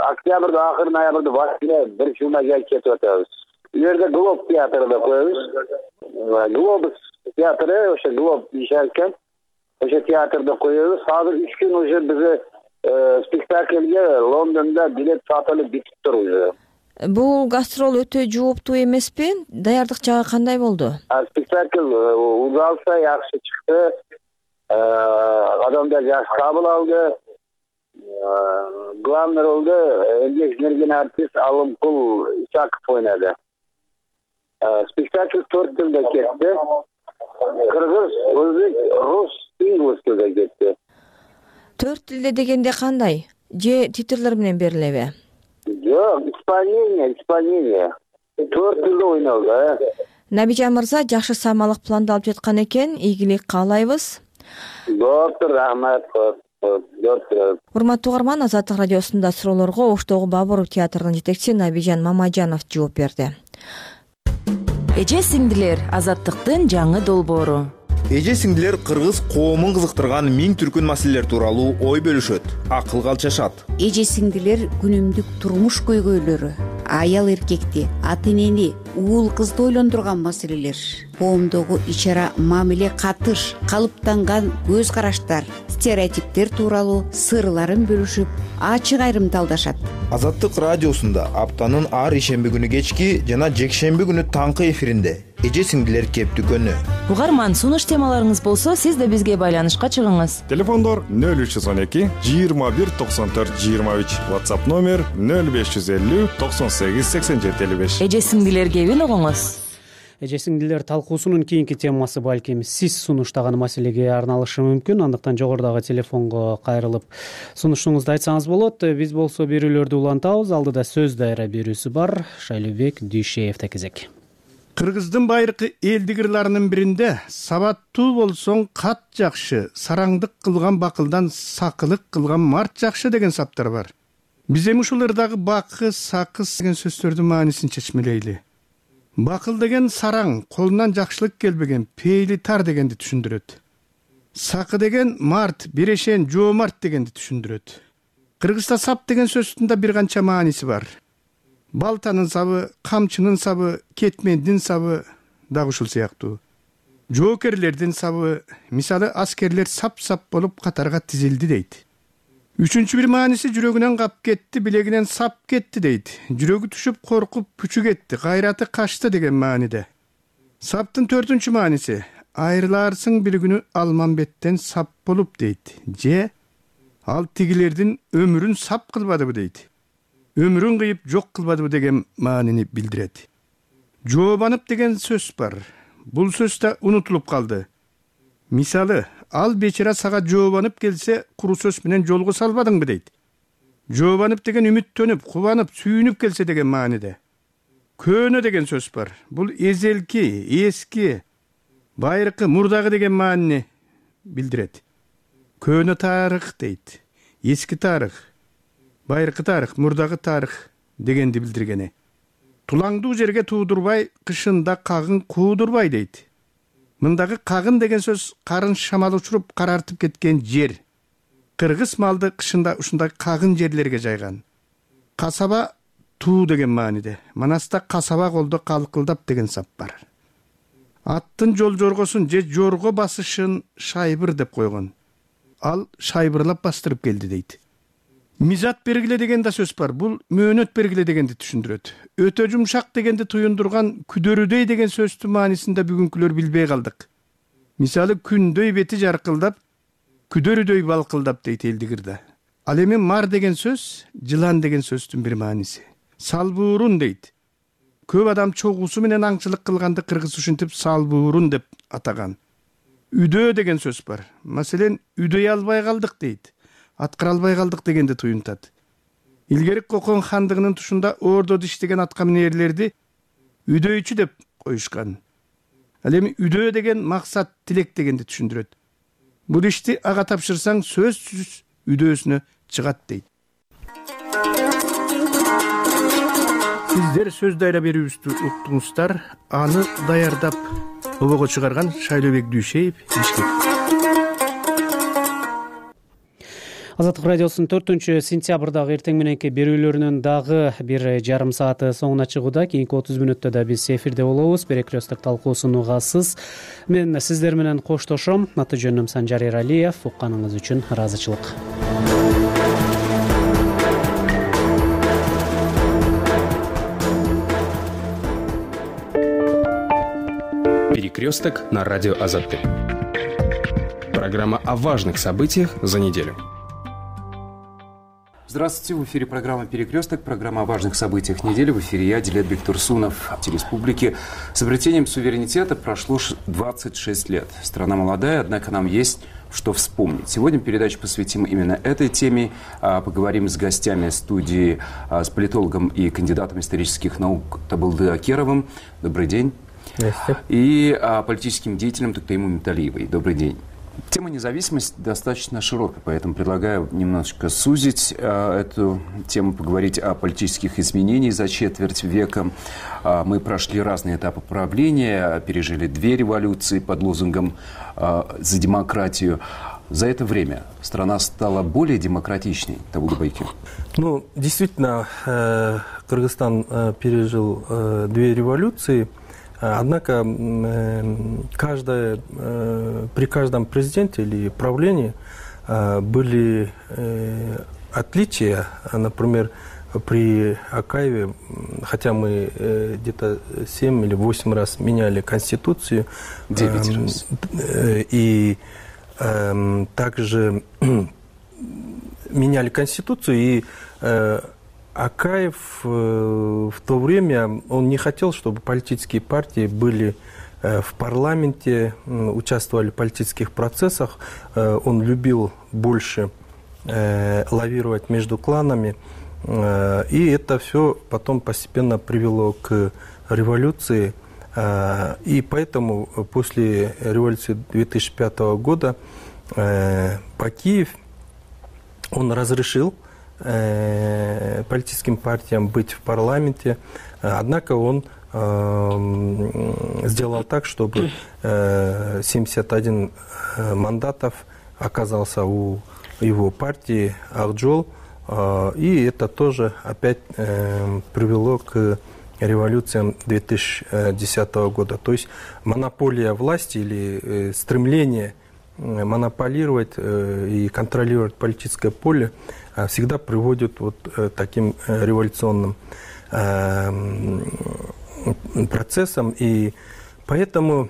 K: октябрда, акыры ноябрда Василе бир жылга жай кетип атабыз. Бу жерде Глоб театрында коебуз. Глобус театры, ошо Глоб ишеркен. Ошо театрда коебуз. Азыр үч күн уже биз спектакльге Лондонда билет сатылып бүтүптүр уже.
C: Бул гастрол өтө жооптуу эмеспи? Даярдык жагы кандай болду?
K: Спектакль узалса жакшы чыкты. Адамдар жакшы кабыл алды. Главный ролду эмгек сиңирген артист Алымкул Исаков ойнады. Спектакль төрт тилде кетти. Кыргыз, өзбек, рус, инглис тилде кетти.
C: Төрт тилде дегенде кандай? Же титрлер менен берилеби?
K: Жок, исполнение, исполнение. Төрт тилде ойнолду.
C: Набижан мырза, жакшы самалык пландалып жаткан экен. Ийгилик каалайбыз.
K: Доктор, рахмат.
C: Урматтуу угарман, Азаттык радиосунда суроолорго Оштогу Бабуров театрынын жетекчиси Набижан Мамажанов жооп берди.
L: Эже сиңдилер, Азаттыктын жаңы долбоору.
M: Эже сиңдилер кыргыз коомун кызыктырган миң түркүн маселелер тууралуу ой бөлүшөт, акыл калчашат.
N: Эже сиңдилер күнүмдүк турмуш көйгөйлөрү, аял эркекти, ата энени, уул кызды ойлондурган маселелер, коомдогу ич-ара мамиле катыш, калыптанган көз караштар, стереотиптер тууралуу сырларын бөлүшүп, ачык айрымдалдашат.
M: Азаттык радиосунда аптанын ар ишемби күнү кечки жана жекшемби күнү таңкы эфиринде эже сиңдилер кептүкөнү.
L: Угарман, сунуш темаларыңыз болсо, сиз да бизге байланышка чыгыңыз.
J: Телефондор нөл үч жүз он эки жыйырма бир токсон төрт жыйырма үч, WhatsApp номер нөл беш жүз элүү токсон сегиз сексен жети элүү беш.
L: Эже сиңдилер кебин угуңуз.
A: Эже сиңдилер талкуусунун кийинки темасы балким сиз сунуштаган маселеге арналышы мүмкүн. Андыктан жогорудагы телефонго кайрылып сунушуңузду айтсаңыз болот. Биз болсо берүүлөрдү улантабыз. Алдыда сөз дайра берүүсү бар. Шайлообек Дүйшеевде кезек.
O: Кыргыздын байыркы элдик ырларынын биринде сабаттуу болсоң кат жакшы, сараңдык кылган бакылдан сакылык кылган март жакшы деген саптар бар. Биз эми ушул ырдагы бакы, сакыс деген сөздөрдүн маанисин чечмелейли. Бакыл деген сараң, колунан жакшылык келбеген, пейли тар дегенди түшүндүрөт. Сакы деген март, бирешен, жоомарт дегенди түшүндүрөт. Кыргызда сап деген сөздүн да бир канча мааниси бар. Балтанын сабы, камчынын сабы, кетмендин сабы дагы ушул сыяктуу. Жоокерлердин сабы, мисалы аскерлер сап-сап болуп катарга тизилди дейт. Үчүнчү бир мааниси жүрөгүнөн кап кетти, билегинен сап кетти дейт. Жүрөгү түшүп коркуп пүчү кетти, кайраты качты деген мааниде. Саптын төртүнчү мааниси айрыларсың бир күнү Алмамбеттен сап болуп дейт. Же ал тигилердин өмүрүн сап кылбадыбы дейт. Өмүрүн кыйып жок кылбадыбы деген маанини билдирет. Жообанып деген сөз бар. Бул сөз да унутулуп калды. Мисалы, ал бечара сага жообанып келсе, куру сөз менен жолго салбадыңбы дейт. Жообанып деген үмүттөнүп, кубанып, сүйүнүп келсе деген мааниде. Көөнө деген сөз бар. Бул эзелки, эски, байыркы, мурдагы деген маанини билдирет. Көөнө тарых дейт. Эски тарых, байыркы тарых, мурдагы тарых дегенди билдиргени. Тулаңдуу жерге туудурбай, кышында кагын куудурбай дейт. Мындагы кагын деген сөз карын шамал учуруп карартып кеткен жер. Кыргыз малды кышында ушундай кагын жерлерге жайган. Касаба туу деген мааниде. Манаста касаба колдо калкылдап деген сап бар. Аттын жол жоргосун же жорго басышын шайбыр деп койгон. Ал шайбырлап бастырып келди дейт. Мизат бергиле деген да сөз бар. Бул мөөнөт бергиле дегенди түшүндүрөт. Өтө жумшак дегенди туюндурган күдөрүдөй деген сөздүн маанисин да бүгүнкүлөр билбей калдык. Мисалы күндөй бети жаркылдап, күдөрүдөй балкылдап дейт элдик ырда. Ал эми мар деген сөз жылан деген сөздүн бир мааниси. Салбуурун дейт. Көп адам чогуусу менен аңчылык кылганды кыргыз ушинтип салбуурун деп атаган. Үдөө деген сөз бар. Маселен, үдөй албай калдык дейт. Аткара албай калдык дегенди туюнтат. Илгери Кокон хандыгынын тушунда ордо диштеген атка минерлерди үдөйчү деп коюшкан. Ал эми үдөө деген максат, тилек дегенди түшүндүрөт. Бул ишти ага тапшырсаң сөзсүз үдөөсүнө чыгат дейт. Сиздер сөз дайра берүүбүздү уктуңуздар. Аны даярдап обого чыгарган Шайлообек Дүйшеев, Бишкек.
A: Азаттык радиосунун төртүнчү сентябрдагы эртең мененки берүүлөрүнүн дагы бир жарым сааты соңуна чыгууда. Кийинки отуз мүнөттө да биз эфирде болобуз. Перекресток талкуусун угасыз. Мен сиздер менен коштошом. Аты жөнүм Санжар Эралиев. Укканыңыз үчүн ыраазычылык.
P: Перекресток на радио Азаттык. Программа о важных событиях за неделю.
Q: Здравствуйте, в эфире программа «Перекресток», программа о важных событиях недели. В эфире я, Дилетбек Турсунов. В республике с обретением суверенитета прошло двадцать шесть лет. Страна молодая, однако нам есть что вспомнить. Сегодня передачу посвятим именно этой теме. Поговорим с гостями студии, с политологом и кандидатом исторических наук Табылды Акеровым. Добрый день.
R: Здравствуйте.
Q: И политическим деятелем Туктаиму Миталиевой. Добрый день. Тема независимости достаточно широкая, поэтому предлагаю немножечко сузить э, эту тему, поговорить о политических изменениях за четверть века. Э, мы прошли разные этапы правления, пережили две революции под лозунгом э, «За демократию». За это время страна стала более демократичней, Табылды Байке?
R: Ну, действительно, э, Кыргызстан э, пережил э, две революции. Однако каждое, при каждом президенте или правлении были отличия. Например, при Акаеве, хотя мы где-то семь или восемь раз меняли Конституцию.
Q: Девять раз.
R: И также меняли Конституцию, и Акаев в то время, он не хотел, чтобы политические партии были в парламенте, участвовали в политических процессах. Он любил больше лавировать между кланами. И это все потом постепенно привело к революции. И поэтому после революции две тысячи пятого года Бакиев, он разрешил политическим партиям быть в парламенте, однако он э, сделал так, чтобы э, семьдесят один мандатов оказался у его партии Акжол, э, и это тоже опять э, привело к революциям две тысячи десятого года. То есть монополия власти или э, стремление монополировать э, и контролировать политическое поле всегда приводит вот таким революционным процессам. И поэтому,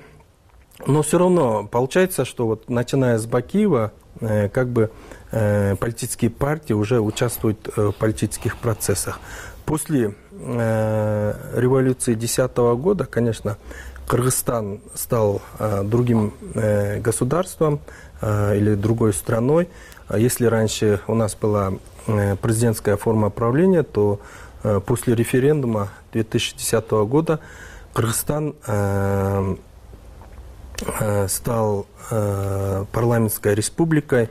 R: но все равно получается, что вот начиная с Бакиева, как бы политические партии уже участвуют в политических процессах. После революции две тысячи десятого года, конечно, Кыргызстан стал другим государством или другой страной. Если раньше у нас была президентская форма правления, то после референдума две тысячи десятого года Кыргызстан стал парламентской республикой.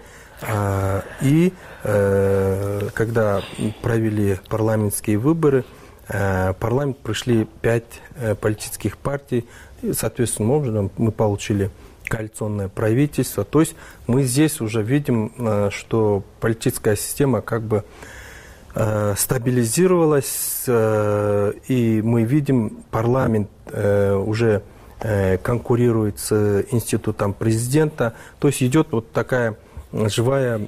R: И когда провели парламентские выборы, в парламент пришли пять политических партий. И, соответственным образом, мы получили коалиционное правительство. То есть мы здесь уже видим, что политическая система как бы стабилизировалась, и мы видим, парламент уже конкурирует с институтом президента. То есть идет вот такая живая,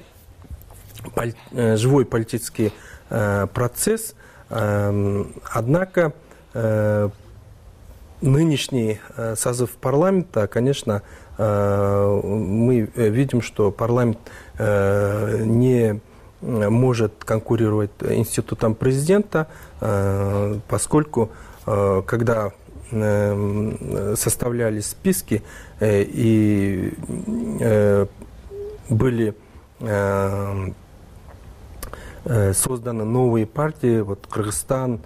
R: живой политический процесс. Однако нынешний созыв парламента, конечно, мы видим, что парламент не может конкурировать институтом президента, поскольку когда составлялись списки и были созданы новые партии, вот Кыргызстан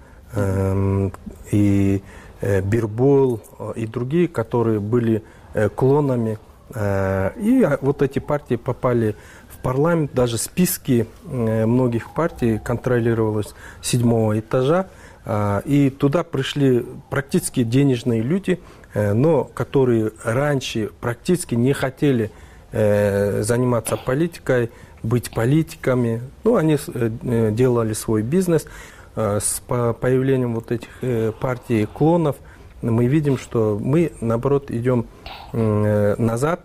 R: и Бирбол и другие, которые были клонами. И вот эти партии попали в парламент, даже списки многих партий контролировалось с седьмого этажа, и туда пришли практически денежные люди, но которые раньше практически не хотели заниматься политикой, быть политиками. Ну, они делали свой бизнес. С появлением вот этих партий клонов мы видим, что мы, наоборот, идем назад.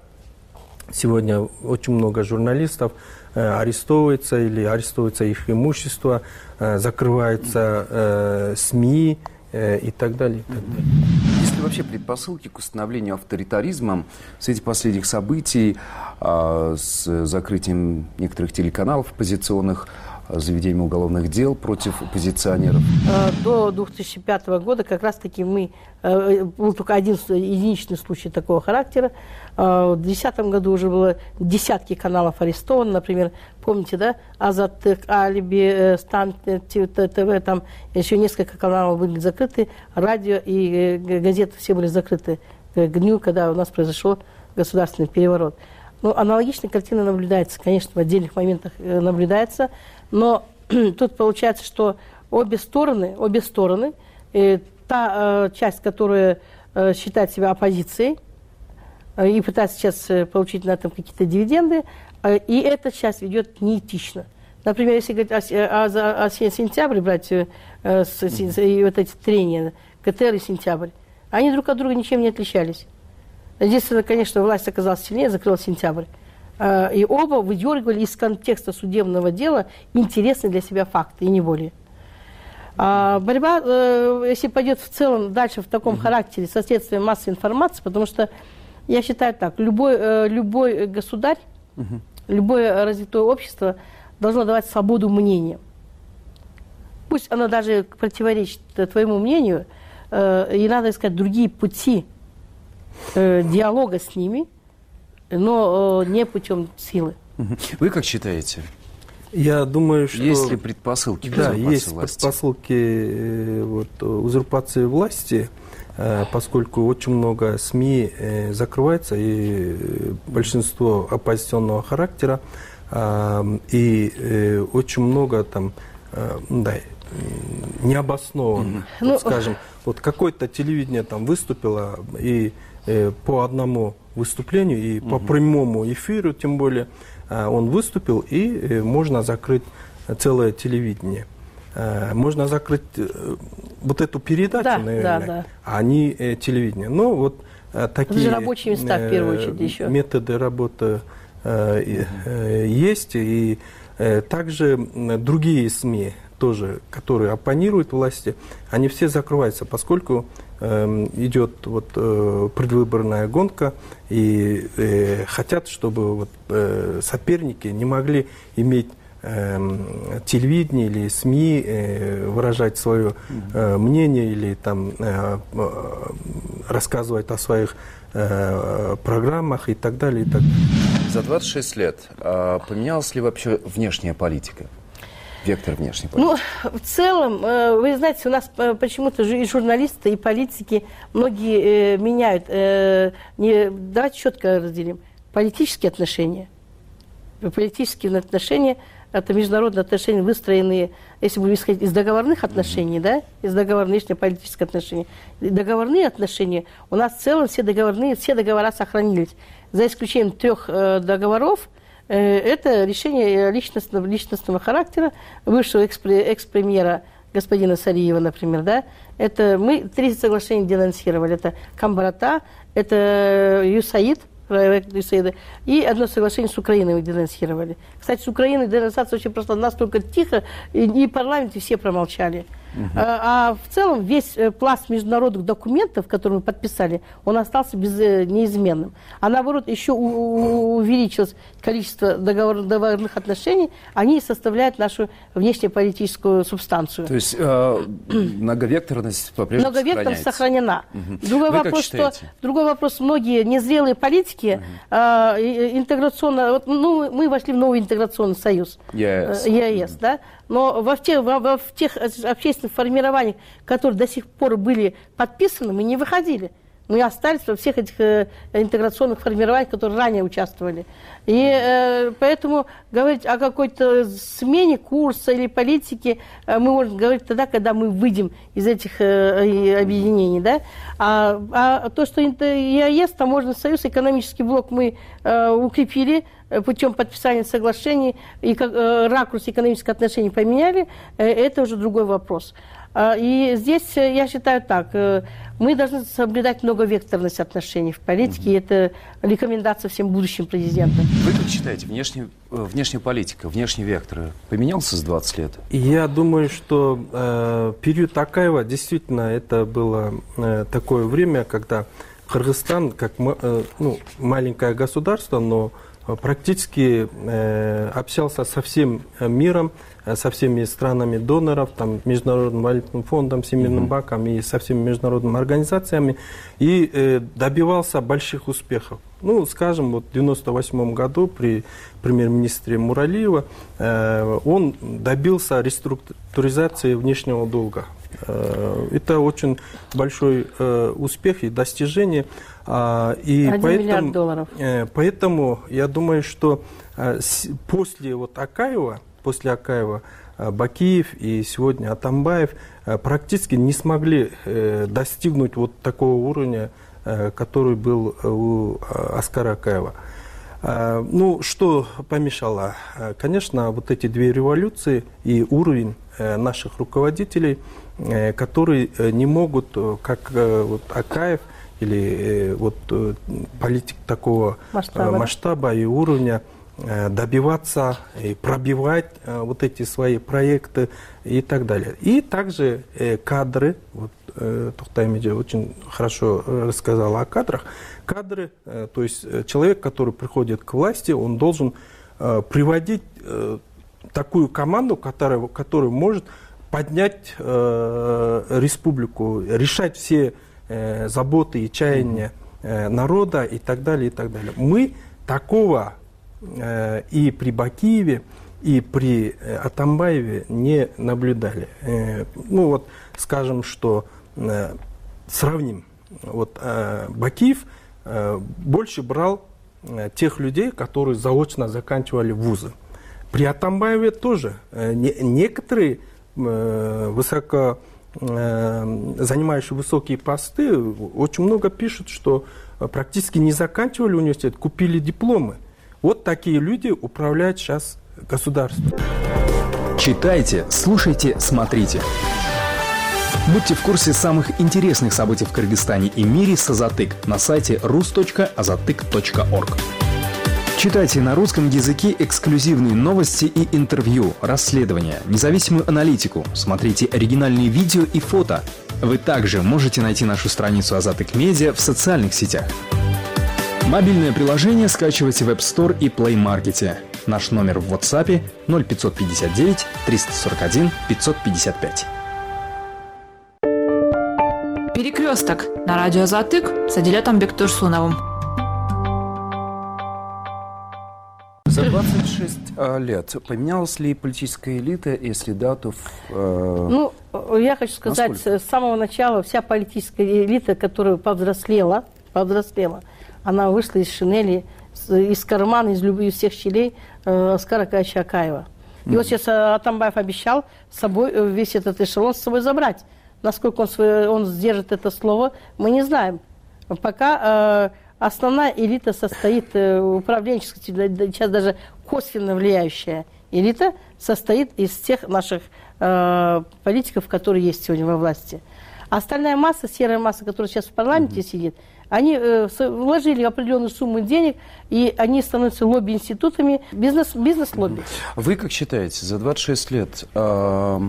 R: Сегодня очень много журналистов арестовывается или арестовывается их имущество, закрываются СМИ и так далее. И так далее.
Q: Есть ли вообще предпосылки к установлению авторитаризма в свете последних событий с закрытием некоторых телеканалов оппозиционных, заведением уголовных дел против оппозиционеров?
S: До две тысячи пятого года как раз-таки мы, был только один единичный случай такого характера. В две тысячи десятом году уже было десятки каналов арестовано, например, помните, да, Азаттык, Алиби, Стан, ТВ, там еще несколько каналов были закрыты, радио и газеты все были закрыты к дню, когда у нас произошел государственный переворот. Ну, аналогичная картина наблюдается, конечно, в отдельных моментах наблюдается, но тут получается, что обе стороны, обе стороны, э, та э, часть, которая э, считает себя оппозицией э, и пытается сейчас э, получить на этом какие-то дивиденды, э, и эта часть ведет неэтично. Например, если говорить о, о, о, о сентябре, брать э, с, с, и вот эти трения, КТР и сентябрь, они друг от друга ничем не отличались. Единственное, конечно, власть оказалась сильнее, закрыла сентябрь. И оба выдергивали из контекста судебного дела интересные для себя факты, и не более. А борьба, если пойдет в целом дальше в таком mm-hmm. характере со следствием массовой информации, потому что я считаю так, любой, любой государь, mm-hmm. любое развитое общество должно давать свободу мнения. Пусть оно даже противоречит твоему мнению, и надо искать другие пути диалога с ними, но не путем силы.
Q: Вы как считаете?
R: Я думаю, что...
Q: Есть ли предпосылки к
R: да,
Q: узурпации
R: есть
Q: власти?
R: предпосылки вот, узурпации власти, поскольку очень много СМИ закрывается, и большинство оппозиционного характера, и очень много там, да, необоснованно, ну, вот, скажем, вот какое-то телевидение там выступило, и э, по одному выступлению, и угу. по прямому эфиру, тем более, э, он выступил, и э, можно закрыть целое телевидение. Э, можно закрыть э, вот эту передачу, да, наверное, да, да. а не э, телевидение. Но вот э, такие
S: рабочие места, в первую очередь, еще.
R: методы работы э, э, есть, и э, также другие СМИ, тоже, которые оппонируют власти, они все закрываются, поскольку э, идет вот, э, предвыборная гонка, и э, хотят, чтобы вот, э, соперники не могли иметь э, телевидение или СМИ, э, выражать свое э, мнение или там, э, рассказывать о своих э, программах и так далее, и так далее.
Q: За двадцать шесть лет э, поменялась ли вообще внешняя политика? Вектор внешней политики?
S: Ну, в целом, вы знаете, у нас почему-то и журналисты, и политики многие меняют. Не, давайте четко разделим. Политические отношения. Политические отношения – это международные отношения, выстроенные, если будем исходить из договорных отношений, mm-hmm. да, из договорных внешнеполитических отношений. Договорные отношения, у нас в целом все договорные, все договора сохранились. За исключением трех договоров, это решение личностного, личностного характера бывшего экс-премьера господина Сариева, например, да. Это мы три соглашения денонсировали. Это Камбарата, это ЮСАИД, проект ЮСАИДа, и одно соглашение с Украиной мы денонсировали. Кстати, с Украиной денонсация очень прошла настолько тихо, и, и в парламенте все промолчали. Uh-huh. А, а в целом весь пласт международных документов, которые мы подписали, он остался без, неизменным. А наоборот, еще у, у, увеличилось количество договор, договорных отношений, они составляют нашу внешнеполитическую субстанцию.
Q: То есть э, многовекторность по-прежнему
S: Многовекторность сохранена.
Q: Uh-huh.
S: Другой, вопрос, что, другой вопрос, многие незрелые политики uh-huh. э, интеграционно, вот, ну, мы вошли в новый интеграционный союз, ЕАЭС, ЕАЭС, да? Но во тех, во, во, в тех общественных формированиях, которые до сих пор были подписаны, мы не выходили. Мы остались во всех этих э, интеграционных формированиях, которые ранее участвовали. И э, поэтому говорить о какой-то смене курса или политики э, мы можем говорить тогда, когда мы выйдем из этих э, объединений. Да? А, а то, что ЕАЭС, Таможенный союз, экономический блок мы э, укрепили путем подписания соглашений, и как, э, ракурс экономических отношений поменяли, э, это уже другой вопрос. И здесь я считаю так, мы должны соблюдать многовекторность отношений в политике, mm-hmm. и это рекомендация всем будущим президентам.
Q: Вы как считаете, внешний, внешняя политика, внешний вектор поменялся за двадцать лет?
R: Я думаю, что э, период Акаева действительно это было э, такое время, когда Кыргызстан, как э, ну, маленькое государство, но практически э, общался со всем миром, со всеми странами доноров, там, Международным валютным фондом, Всемирным mm-hmm. банком и со всеми международными организациями, и э, добивался больших успехов. Ну, скажем, вот в девяносто восьмом году при премьер-министре Муралиева э, он добился реструктуризации внешнего долга. Э, это очень большой э, успех и достижение. Э, и
S: Один
R: поэтому,
S: миллиард долларов.
R: Э, поэтому я думаю, что э, с, после вот Акаева, после Акаева, Бакиев и сегодня Атамбаев практически не смогли достигнуть вот такого уровня, который был у Аскара Акаева. Ну, что помешало? Конечно, вот эти две революции и уровень наших руководителей, которые не могут, как вот Акаев или вот политик такого масштаба, масштаба и уровня, добиваться и пробивать вот эти свои проекты и так далее. И также кадры, вот Токтай Меджи очень хорошо рассказала о кадрах. Кадры, то есть человек, который приходит к власти, он должен приводить такую команду, которая, которая может поднять республику, решать все заботы и чаяния народа и так далее, и так далее. Мы такого и при Бакиеве, и при Атамбаеве не наблюдали. Ну вот, скажем, что сравним. Вот Бакиев больше брал тех людей, которые заочно заканчивали вузы. При Атамбаеве тоже некоторые высоко занимающие высокие посты очень много пишут, что практически не заканчивали университет, купили дипломы. Вот такие люди управляют сейчас государством.
T: Читайте, слушайте, смотрите. Будьте в курсе самых интересных событий в Кыргызстане и мире с Азатык на сайте рус точка азатык точка орг. Читайте на русском языке эксклюзивные новости и интервью, расследования, независимую аналитику, смотрите оригинальные видео и фото. Вы также можете найти нашу страницу Азатык Медиа в социальных сетях. Мобильное приложение скачивайте в App Store и Play Market. Наш номер в WhatsApp ноль пятьсот пятьдесят девять триста сорок один пятьсот пятьдесят пять.
L: Перекресток на радио Азатык с Адилетом Бектурсуновым.
Q: За двадцать шесть лет поменялась ли политическая элита, если да, то... Э...
S: Ну, я хочу сказать, насколько? С самого начала вся политическая элита, которая повзрослела, повзрослела, она вышла из шинели, из кармана, из любых из всех щелей э, Аскара Акаевича Акаева. И mm-hmm. вот сейчас Атамбаев обещал с собой весь этот эшелон с собой забрать. Насколько он, свой, он сдержит это слово, мы не знаем. Пока... Э, Основная элита состоит, управленческая, сейчас даже косвенно влияющая элита, состоит из тех наших э, политиков, которые есть сегодня во власти. Остальная масса, серая масса, которая сейчас в парламенте mm-hmm. сидит, они э, вложили определенную сумму денег, и они становятся лобби-институтами, бизнес, бизнес-лобби.
Q: Вы как считаете, за двадцать шесть лет э,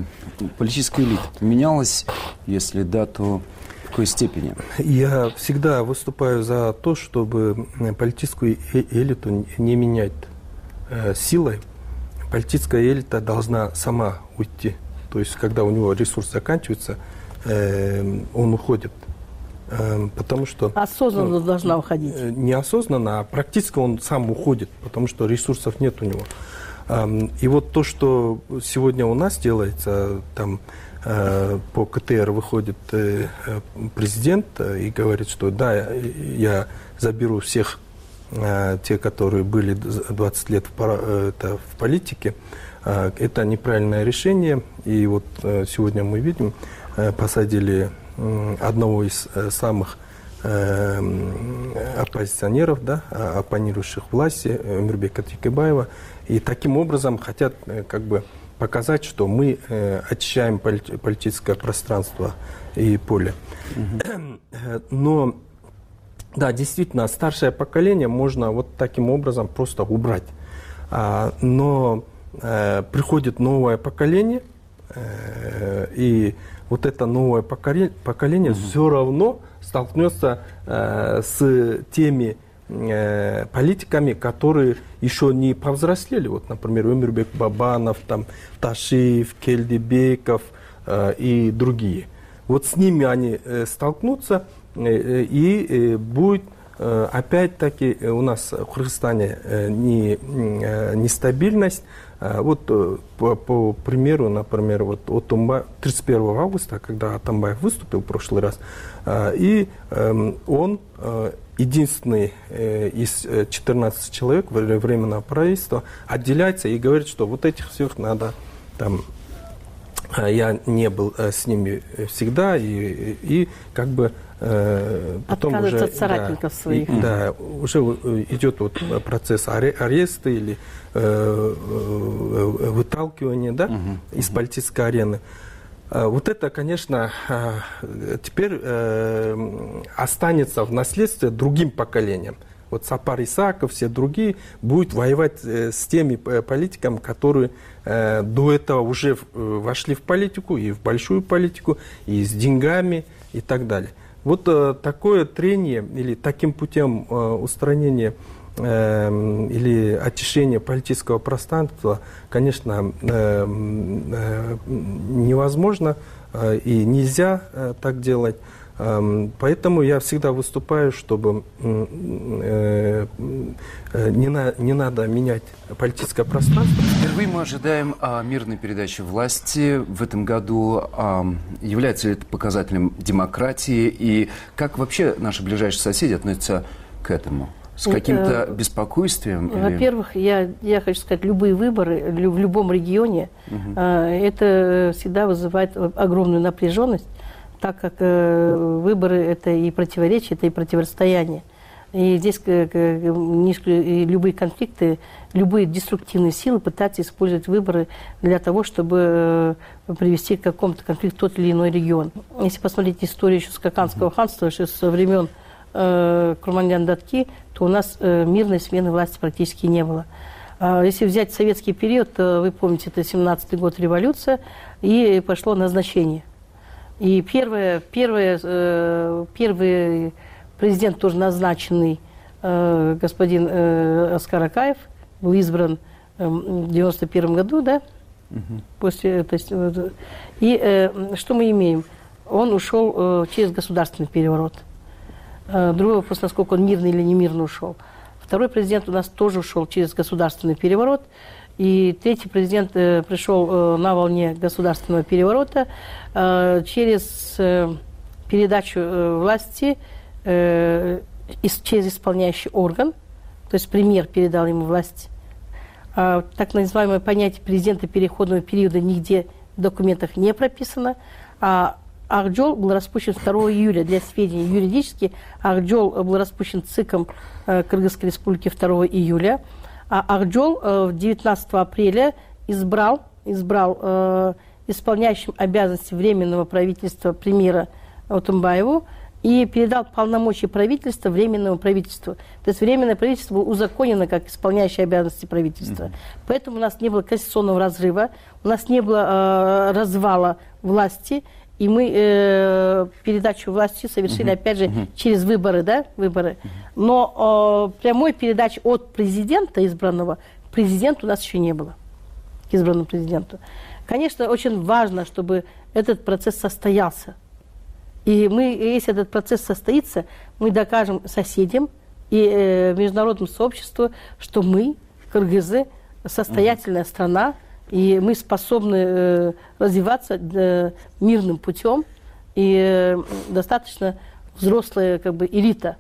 Q: политическая элита поменялась? Если да, то... В какой степени?
R: Я всегда выступаю за то, чтобы политическую элиту не менять э, силой. Политическая элита должна сама уйти. То есть, когда у него ресурс заканчивается, э, он уходит. Э, потому что...
S: Осознанно ну, должна уходить.
R: Неосознанно, а практически он сам уходит, потому что ресурсов нет у него. И вот то, что сегодня у нас делается, там по КТР выходит президент и говорит, что да, я заберу всех, те, которые были двадцать лет в политике, это неправильное решение. И вот сегодня мы видим, посадили одного из самых оппозиционеров, да, оппонирующих власти, Өмурбека Текебаева, и таким образом хотят как бы показать, что мы очищаем политическое пространство и поле. Но, да, действительно, старшее поколение можно вот таким образом просто убрать. Но приходит новое поколение, и вот это новое поколение, поколение mm-hmm. все равно столкнется э, с теми э, политиками, которые еще не повзрослели. Вот, например, Өмурбек Бабанов, там, Ташиев, Келдибеков э, и другие. Вот с ними они э, столкнутся, э, и э, будет э, опять-таки у нас в Кыргызстане э, не, э, нестабильность. Вот по, по примеру, например, вот Отунбаев, тридцать первого августа, когда Атамбаев выступил в прошлый раз, и он единственный из четырнадцати человек временного правительства отделяется и говорит, что вот этих всех надо там. Я не был с ними всегда, и, и как бы э, потом уже от соратников да, своих. И, да, уже идет вот процесс ареста или э, выталкивания, да, uh-huh. из политической арены. Вот это, конечно, теперь э, останется в наследстве другим поколениям. Вот Сапар Исаков, все другие будут воевать с теми политиками, которые э, до этого уже вошли в политику, и в большую политику, и с деньгами, и так далее. Вот э, такое трение или таким путем э, устранения э, или очищения политического пространства, конечно, э, э, невозможно э, и нельзя э, так делать. Поэтому я всегда выступаю, чтобы э, э, не, на, не надо менять политическое пространство.
Q: Впервые мы ожидаем а, мирной передачи власти в этом году. А, является ли это показателем демократии? И как вообще наши ближайшие соседи относятся к этому? С каким-то беспокойствием?
S: Во-первых, или... я, я хочу сказать, любые выборы в любом регионе, угу. это всегда вызывает огромную напряженность, так как э, выборы – это и противоречия, это и противостояние. И здесь э, э, любые конфликты, любые деструктивные силы пытаются использовать выборы для того, чтобы э, привести к какому-то конфликту тот или иной регион. Если посмотреть историю еще Скаканского ханства, еще со времен э, Курманлян-Датки, то у нас э, мирной смены власти практически не было. А если взять советский период, то, вы помните, это семнадцатый год, революция, и пошло назначение. И первое, первое, э, первый президент, тоже назначенный, э, господин э, Оскар Акаев, был избран э, в девяносто первом году, да? Uh-huh. После, то есть, э, и э, что мы имеем? Он ушел э, через государственный переворот. Э, другой вопрос, насколько он мирно или не мирно ушел. Второй президент у нас тоже ушел через государственный переворот. И третий президент э, пришел э, на волне государственного переворота э, через э, передачу э, власти э, из, через исполняющий орган, то есть премьер передал ему власть. Э, так называемое понятие президента переходного периода нигде в документах не прописано. А Акжол был распущен второго июля. Для сведения, юридически Акжол был распущен ЦИКом э, Кыргызской республики второго июля. А Акжол э, девятнадцатого апреля избрал, избрал э, исполняющим обязанности Временного правительства премьера Отунбаеву и передал полномочия правительства Временному правительству. То есть Временное правительство было узаконено как исполняющее обязанности правительства. Mm-hmm. Поэтому у нас не было конституционного разрыва, у нас не было э, развала власти, и мы э, передачу власти совершили, uh-huh. опять же, uh-huh. через выборы, да, выборы. Uh-huh. Но э, прямой передачи от президента избранного к президенту у нас еще не было, к избранному президенту. Конечно, очень важно, чтобы этот процесс состоялся. И мы, если этот процесс состоится, мы докажем соседям и э, международному сообществу, что мы, кыргызы, состоятельная страна, и мы способны развиваться мирным путем, и достаточно взрослая как бы элита.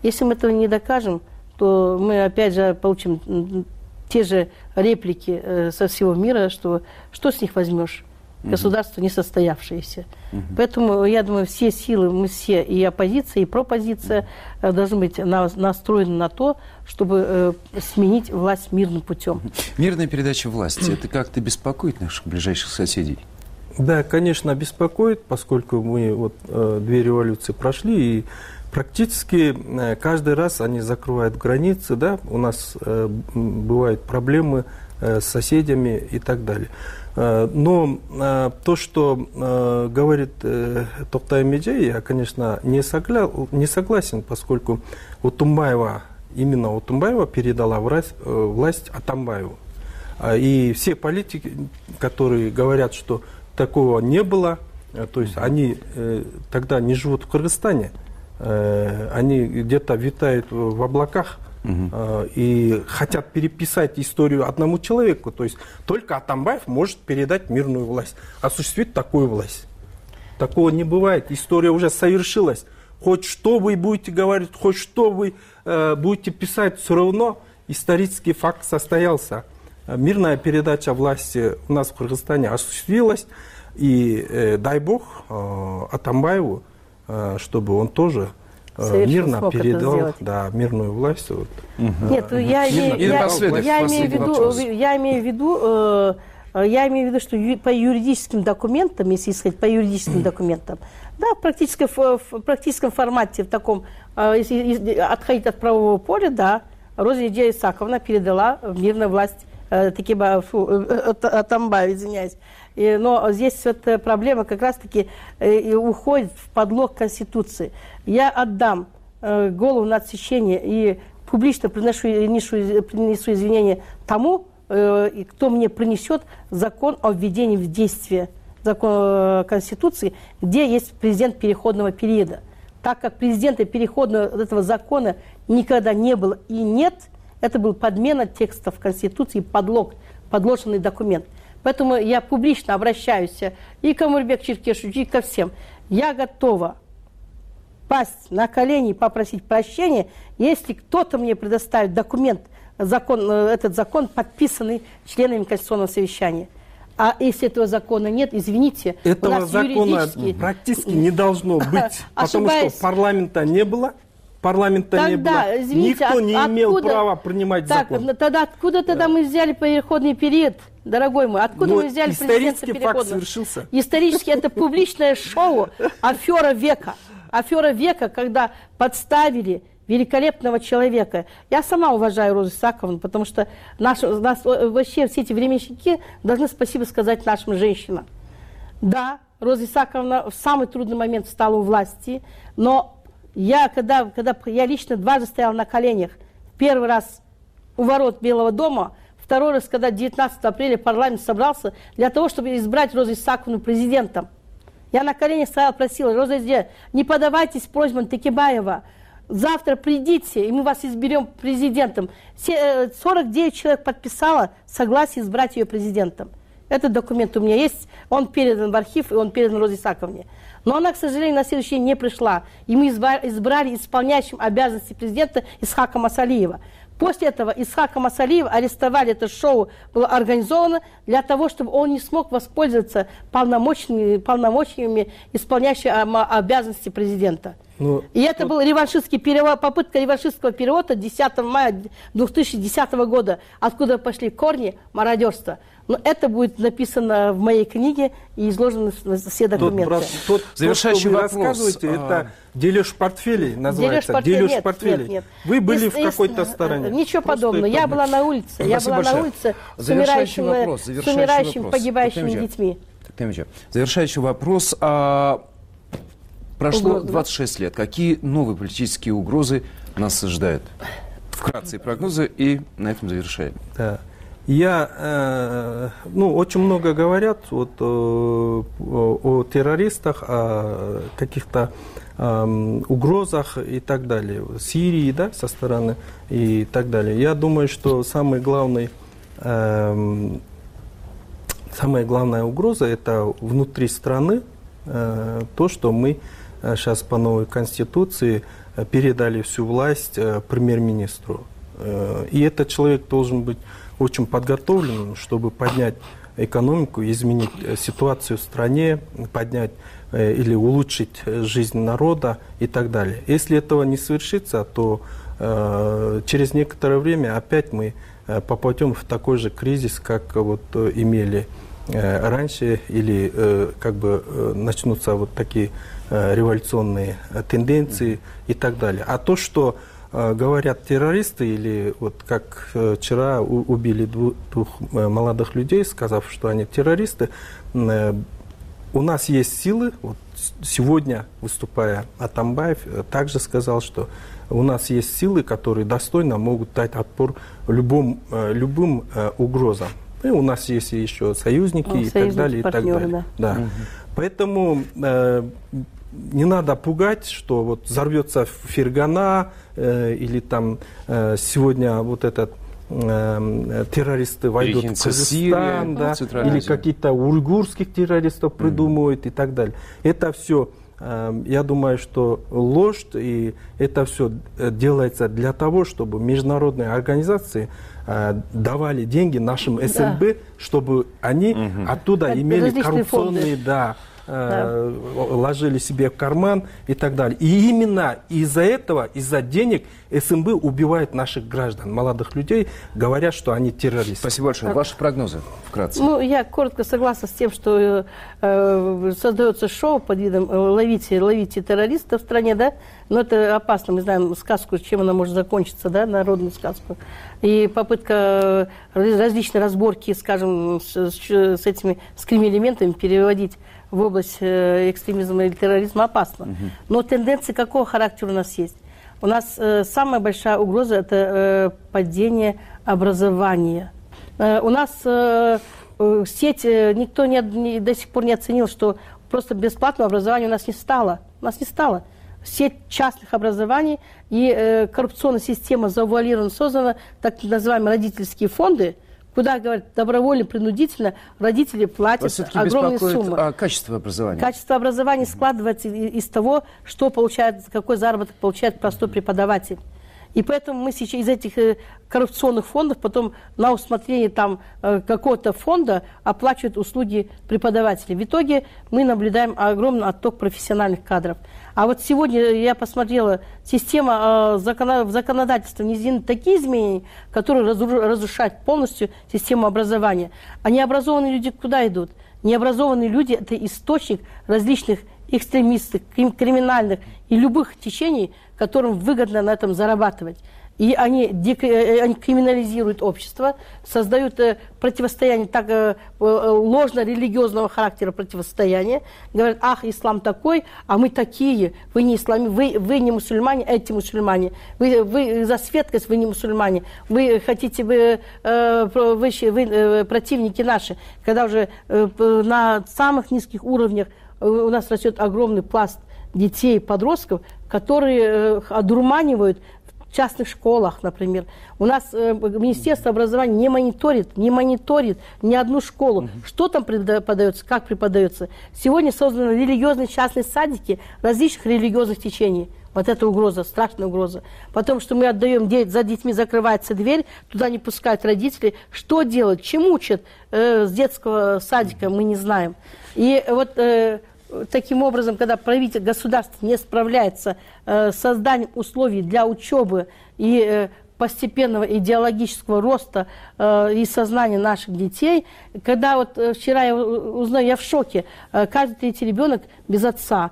S: Если мы этого не докажем, то мы опять же получим те же реплики со всего мира, что что с них возьмешь? Государство несостоявшееся. Uh-huh. Поэтому, я думаю, все силы, мы все, и оппозиция, и пропозиция, uh-huh. должны быть на, настроены на то, чтобы э, сменить власть мирным путем.
Q: Uh-huh. Мирная передача власти, это как-то беспокоит наших ближайших соседей?
R: Да, конечно, беспокоит, поскольку мы вот э, две революции прошли, и практически э, каждый раз они закрывают границы, да, у нас э, бывают проблемы э, с соседями и так далее. Но э, то, что э, говорит э, Токтай Меджей, я, конечно, не, согля... не согласен, поскольку Утумбаева, именно Утумбаева передала власть, э, власть Атамбаеву. И все политики, которые говорят, что такого не было, э, то есть они э, тогда не живут в Кыргызстане, э, они где-то витают в облаках, Uh-huh. и хотят переписать историю одному человеку. То есть только Атамбаев может передать мирную власть, осуществить такую власть. Такого не бывает. История уже совершилась. Хоть что вы будете говорить, хоть что вы э, будете писать, все равно исторический факт состоялся. Мирная передача власти у нас в Кыргызстане осуществилась. И э, дай бог э, Атамбаеву, э, чтобы он тоже мирно передал, да, мирную власть. Вот.
S: Угу. Нет, я, я, я, я, имею в виду, я имею в виду, э, я имею в виду, что ю, по юридическим документам, если исходить по юридическим документам, да, в практическом, в практическом формате, в таком, э, если отходить от правового поля, да, Роза Исаковна передала мирную власть э, Текеба, фу, э, Атамбаеву, извиняюсь. И, но здесь вот проблема как раз-таки э, уходит в подлог Конституции. Я отдам э, голову на отсечение и публично приношу, принесу, принесу извинения тому, э, кто мне принесет закон о введении в действие закон э, Конституции, где есть президент переходного периода. Так как президента переходного этого закона никогда не было и нет, это был подмена текстов Конституции, подлог, подложенный документ. Поэтому я публично обращаюсь и к Омурбеку Черкешевичу, и ко всем. Я готова пасть на колени и попросить прощения, если кто-то мне предоставит документ, закон, этот закон, подписанный членами Конституционного совещания. А если этого закона нет, извините,
R: этого
S: у нас
R: закона
S: юридически...
R: практически не должно быть, потому что парламента не было. Парламента тогда, не было. Извините, никто от, не имел откуда, права принимать так, закон. Тогда
S: откуда тогда да. мы взяли переходный период, дорогой мой? Откуда
R: Но
S: мы взяли президента переходного?
R: Исторический факт совершился.
S: Исторически это публичное шоу, афера века. Афера века, когда подставили великолепного человека. Я сама уважаю Розу Исаковну, потому что наши, нас, вообще все эти временщики должны спасибо сказать нашим женщинам. Да, Роза Исаковна в самый трудный момент встала у власти, но Я, когда, когда я лично дважды стояла на коленях, первый раз у ворот Белого дома, второй раз, когда девятнадцатого апреля парламент собрался для того, чтобы избрать Розу Исаковну президентом. Я на коленях стояла, просила: Роза Исаковна, не подавайтесь просьбам Текебаева, завтра придите, и мы вас изберем президентом. сорок девять человек подписало согласие избрать ее президентом. Этот документ у меня есть, он передан в архив, и он передан Розе Исаковне. Но она, к сожалению, на следующий день не пришла. И мы избрали исполняющим обязанности президента Исхака Масалиева. После этого Исхака Масалиева арестовали, это шоу было организовано для того, чтобы он не смог воспользоваться полномочиями, полномочиями исполняющего обязанности президента. Ну, и это вот... был реваншистский перевод, попытка реваншистского перевода десятого мая две тысячи десятого года, откуда пошли корни мародерства. Но это будет написано в моей книге и изложено все документы. Тот,
R: тот, Завершающий тот, что вы вопрос. Рассказываете, а... это дележ портфелей называется.
S: Дележ,
R: дележ
S: нет,
R: портфелей.
S: Нет, нет.
R: Вы были
S: есть,
R: в какой-то стороне.
S: Ничего Просто подобного. Я была на улице.
Q: Спасибо
S: я была
Q: большое.
S: на улице с
Q: умирающими,
S: вопрос, с умирающими погибающими детьми.
Q: Завершающий вопрос. А... Прошло угрозы, двадцать шесть да? лет. Какие новые политические угрозы нас ожидают? Вкратце прогнозы и на этом завершаем.
R: Да. Я, э, ну, очень много говорят вот, э, о, о террористах, о каких-то э, угрозах и так далее. Сирии, да, со стороны и так далее. Я думаю, что самый главный самая главная угроза – это внутри страны, то, что мы сейчас по новой конституции передали всю власть премьер-министру. И этот человек должен быть очень подготовленным, чтобы поднять экономику, изменить ситуацию в стране, поднять или улучшить жизнь народа и так далее. Если этого не совершится, то э, через некоторое время опять мы попадем в такой же кризис, как вот имели э, раньше, или э, как бы э, начнутся вот такие э, революционные тенденции и так далее. А то, что э, говорят террористы, или вот как э, вчера у, убили двух, двух молодых людей, сказав, что они террористы, э, у нас есть силы. Вот сегодня, выступая, Атамбаев также сказал, что у нас есть силы, которые достойно могут дать отпор любым, любым угрозам. И у нас есть еще союзники, ну, и так далее, и так далее. Да. Да. Угу. Поэтому э, не надо пугать, что вот взорвется Фергана э, или там э, сегодня вот этот террористы войдут в Казахстан, да, или какие-то уйгурских террористов придумывают mm. и так далее. Это все, я думаю, что ложь, и это все делается для того, чтобы международные организации давали деньги нашим СНБ, да. чтобы они mm-hmm. оттуда это имели коррупционные, да, да. ложили себе в карман и так далее. И именно из-за этого, из-за денег СНБ убивает наших граждан, молодых людей, говоря, что они террористы.
Q: Спасибо большое. Ваши прогнозы вкратце.
S: Ну, я коротко согласна с тем, что э, создается шоу под видом «ловите, ловите террористов» в стране, да, но это опасно. Мы знаем сказку, чем она может закончиться, да, народную сказку. И попытка различной разборки, скажем, с, с этими скрим-элементами переводить в область экстремизма или терроризма опасно. Uh-huh. Но тенденции какого характера у нас есть? У нас э, самая большая угроза – это э, падение образования. Э, у нас э, э, сеть, э, никто не, не, до сих пор не оценил, что просто бесплатного образования у нас не стало. У нас не стало. Сеть частных образований и э, коррупционная система завуалирована, создана, так называемые родительские фонды, куда, говорят, добровольно, принудительно родители платят огромные суммы.
Q: А качество образования?
S: Качество образования mm-hmm. складывается из того, что получает, какой заработок получает простой преподаватель. И поэтому мы сейчас из этих коррупционных фондов потом на усмотрение там какого-то фонда оплачивают услуги преподавателей. В итоге мы наблюдаем огромный отток профессиональных кадров. А вот сегодня я посмотрела, система в законодательстве внесены такие изменения, которые разрушают полностью систему образования. А необразованные люди куда идут? Необразованные люди – это источник различных экстремистов, криминальных и любых течений, которым выгодно на этом зарабатывать. И они, они криминализируют общество, создают противостояние так, ложно-религиозного характера противостояния. Говорят, ах, ислам такой, а мы такие, вы не ислами, вы, вы не мусульмане, эти мусульмане. Вы, вы за светскость, вы не мусульмане. Вы хотите, вы, вы, вы противники наши. Когда уже на самых низких уровнях у нас растет огромный пласт детей, подростков, которые одурманивают в частных школах, например. У нас э, Министерство образования не мониторит, не мониторит ни одну школу. Mm-hmm. Что там преподается, как преподается. Сегодня созданы религиозные частные садики различных религиозных течений. Вот это угроза, страшная угроза. Потому что мы отдаем деть, за детьми закрывается дверь, туда не пускают родители. Что делать, чему учат э, с детского садика, мы не знаем. И вот э, таким образом, когда правительство, государство не справляется э, с созданием условий для учебы и э, постепенного идеологического роста э, и сознания наших детей, когда вот э, вчера я узнаю, я в шоке, э, каждый третий ребенок без отца.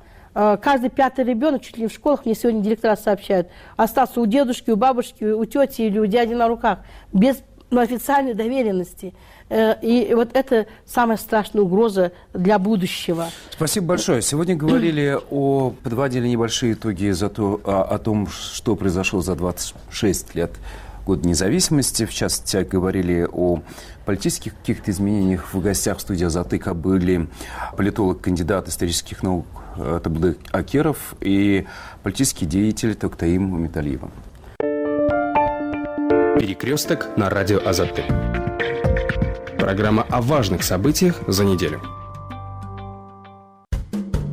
S: Каждый пятый ребенок, чуть ли не в школах, мне сегодня директора сообщают, остался у дедушки, у бабушки, у тети или у дяди на руках, без официальной доверенности. И вот это самая страшная угроза для будущего.
Q: Спасибо большое. Сегодня говорили о, подводили небольшие итоги за то, о, о том, что произошло за двадцать шесть лет года независимости. В частности, говорили о политических каких-то изменениях. В гостях в студии «Азатыка» были политолог, кандидат исторических наук Табылдык Акеров и политический деятель Токтаим Мамиталиева.
T: Перекресток на радио «Азатык».
P: Программа о важных событиях за неделю.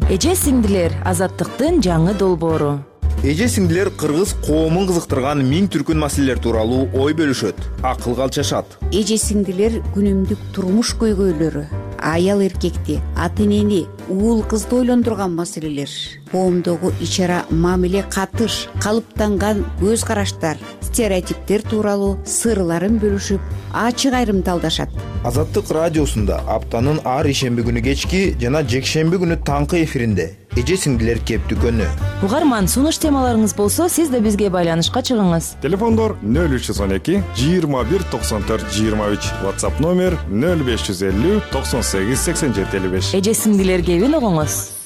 U: Эже сиңдилер, азаттыктын жаңы долбоору.
M: Эже сиңдилер кыргыз коомун кызыктырган миң түркүн маселелер тууралуу ой бөлүшөт, акыл калчашат.
N: Эже сиңдилер күнүмдүк турмуш көйгөйлөрү, аял эркекти, ата энени, уул кызды ойлондурган маселелер, коомдогу ич ара мамиле катыш, калыптанган көз караштар, стереотиптер тууралуу сырларын бөлүшүп, ачык айрымдалдашат.
M: Азаттык радиосунда аптанын ар ишемби күнү кечки жана жекшемби күнү таңкы эфиринде эже сиңдилер кептүкөнү.
U: Угарман, сунуш темаларыңыз болсо, сиз да бизге байланышка чыгыңыз.
J: Телефондор нөл үч жүз он эки жыйырма бир токсон төрт жыйырма үч, WhatsApp номер нөл беш жүз элүү токсон сегиз сексен жети элүү беш.
U: Эже сиңдилер кебин угуңуз.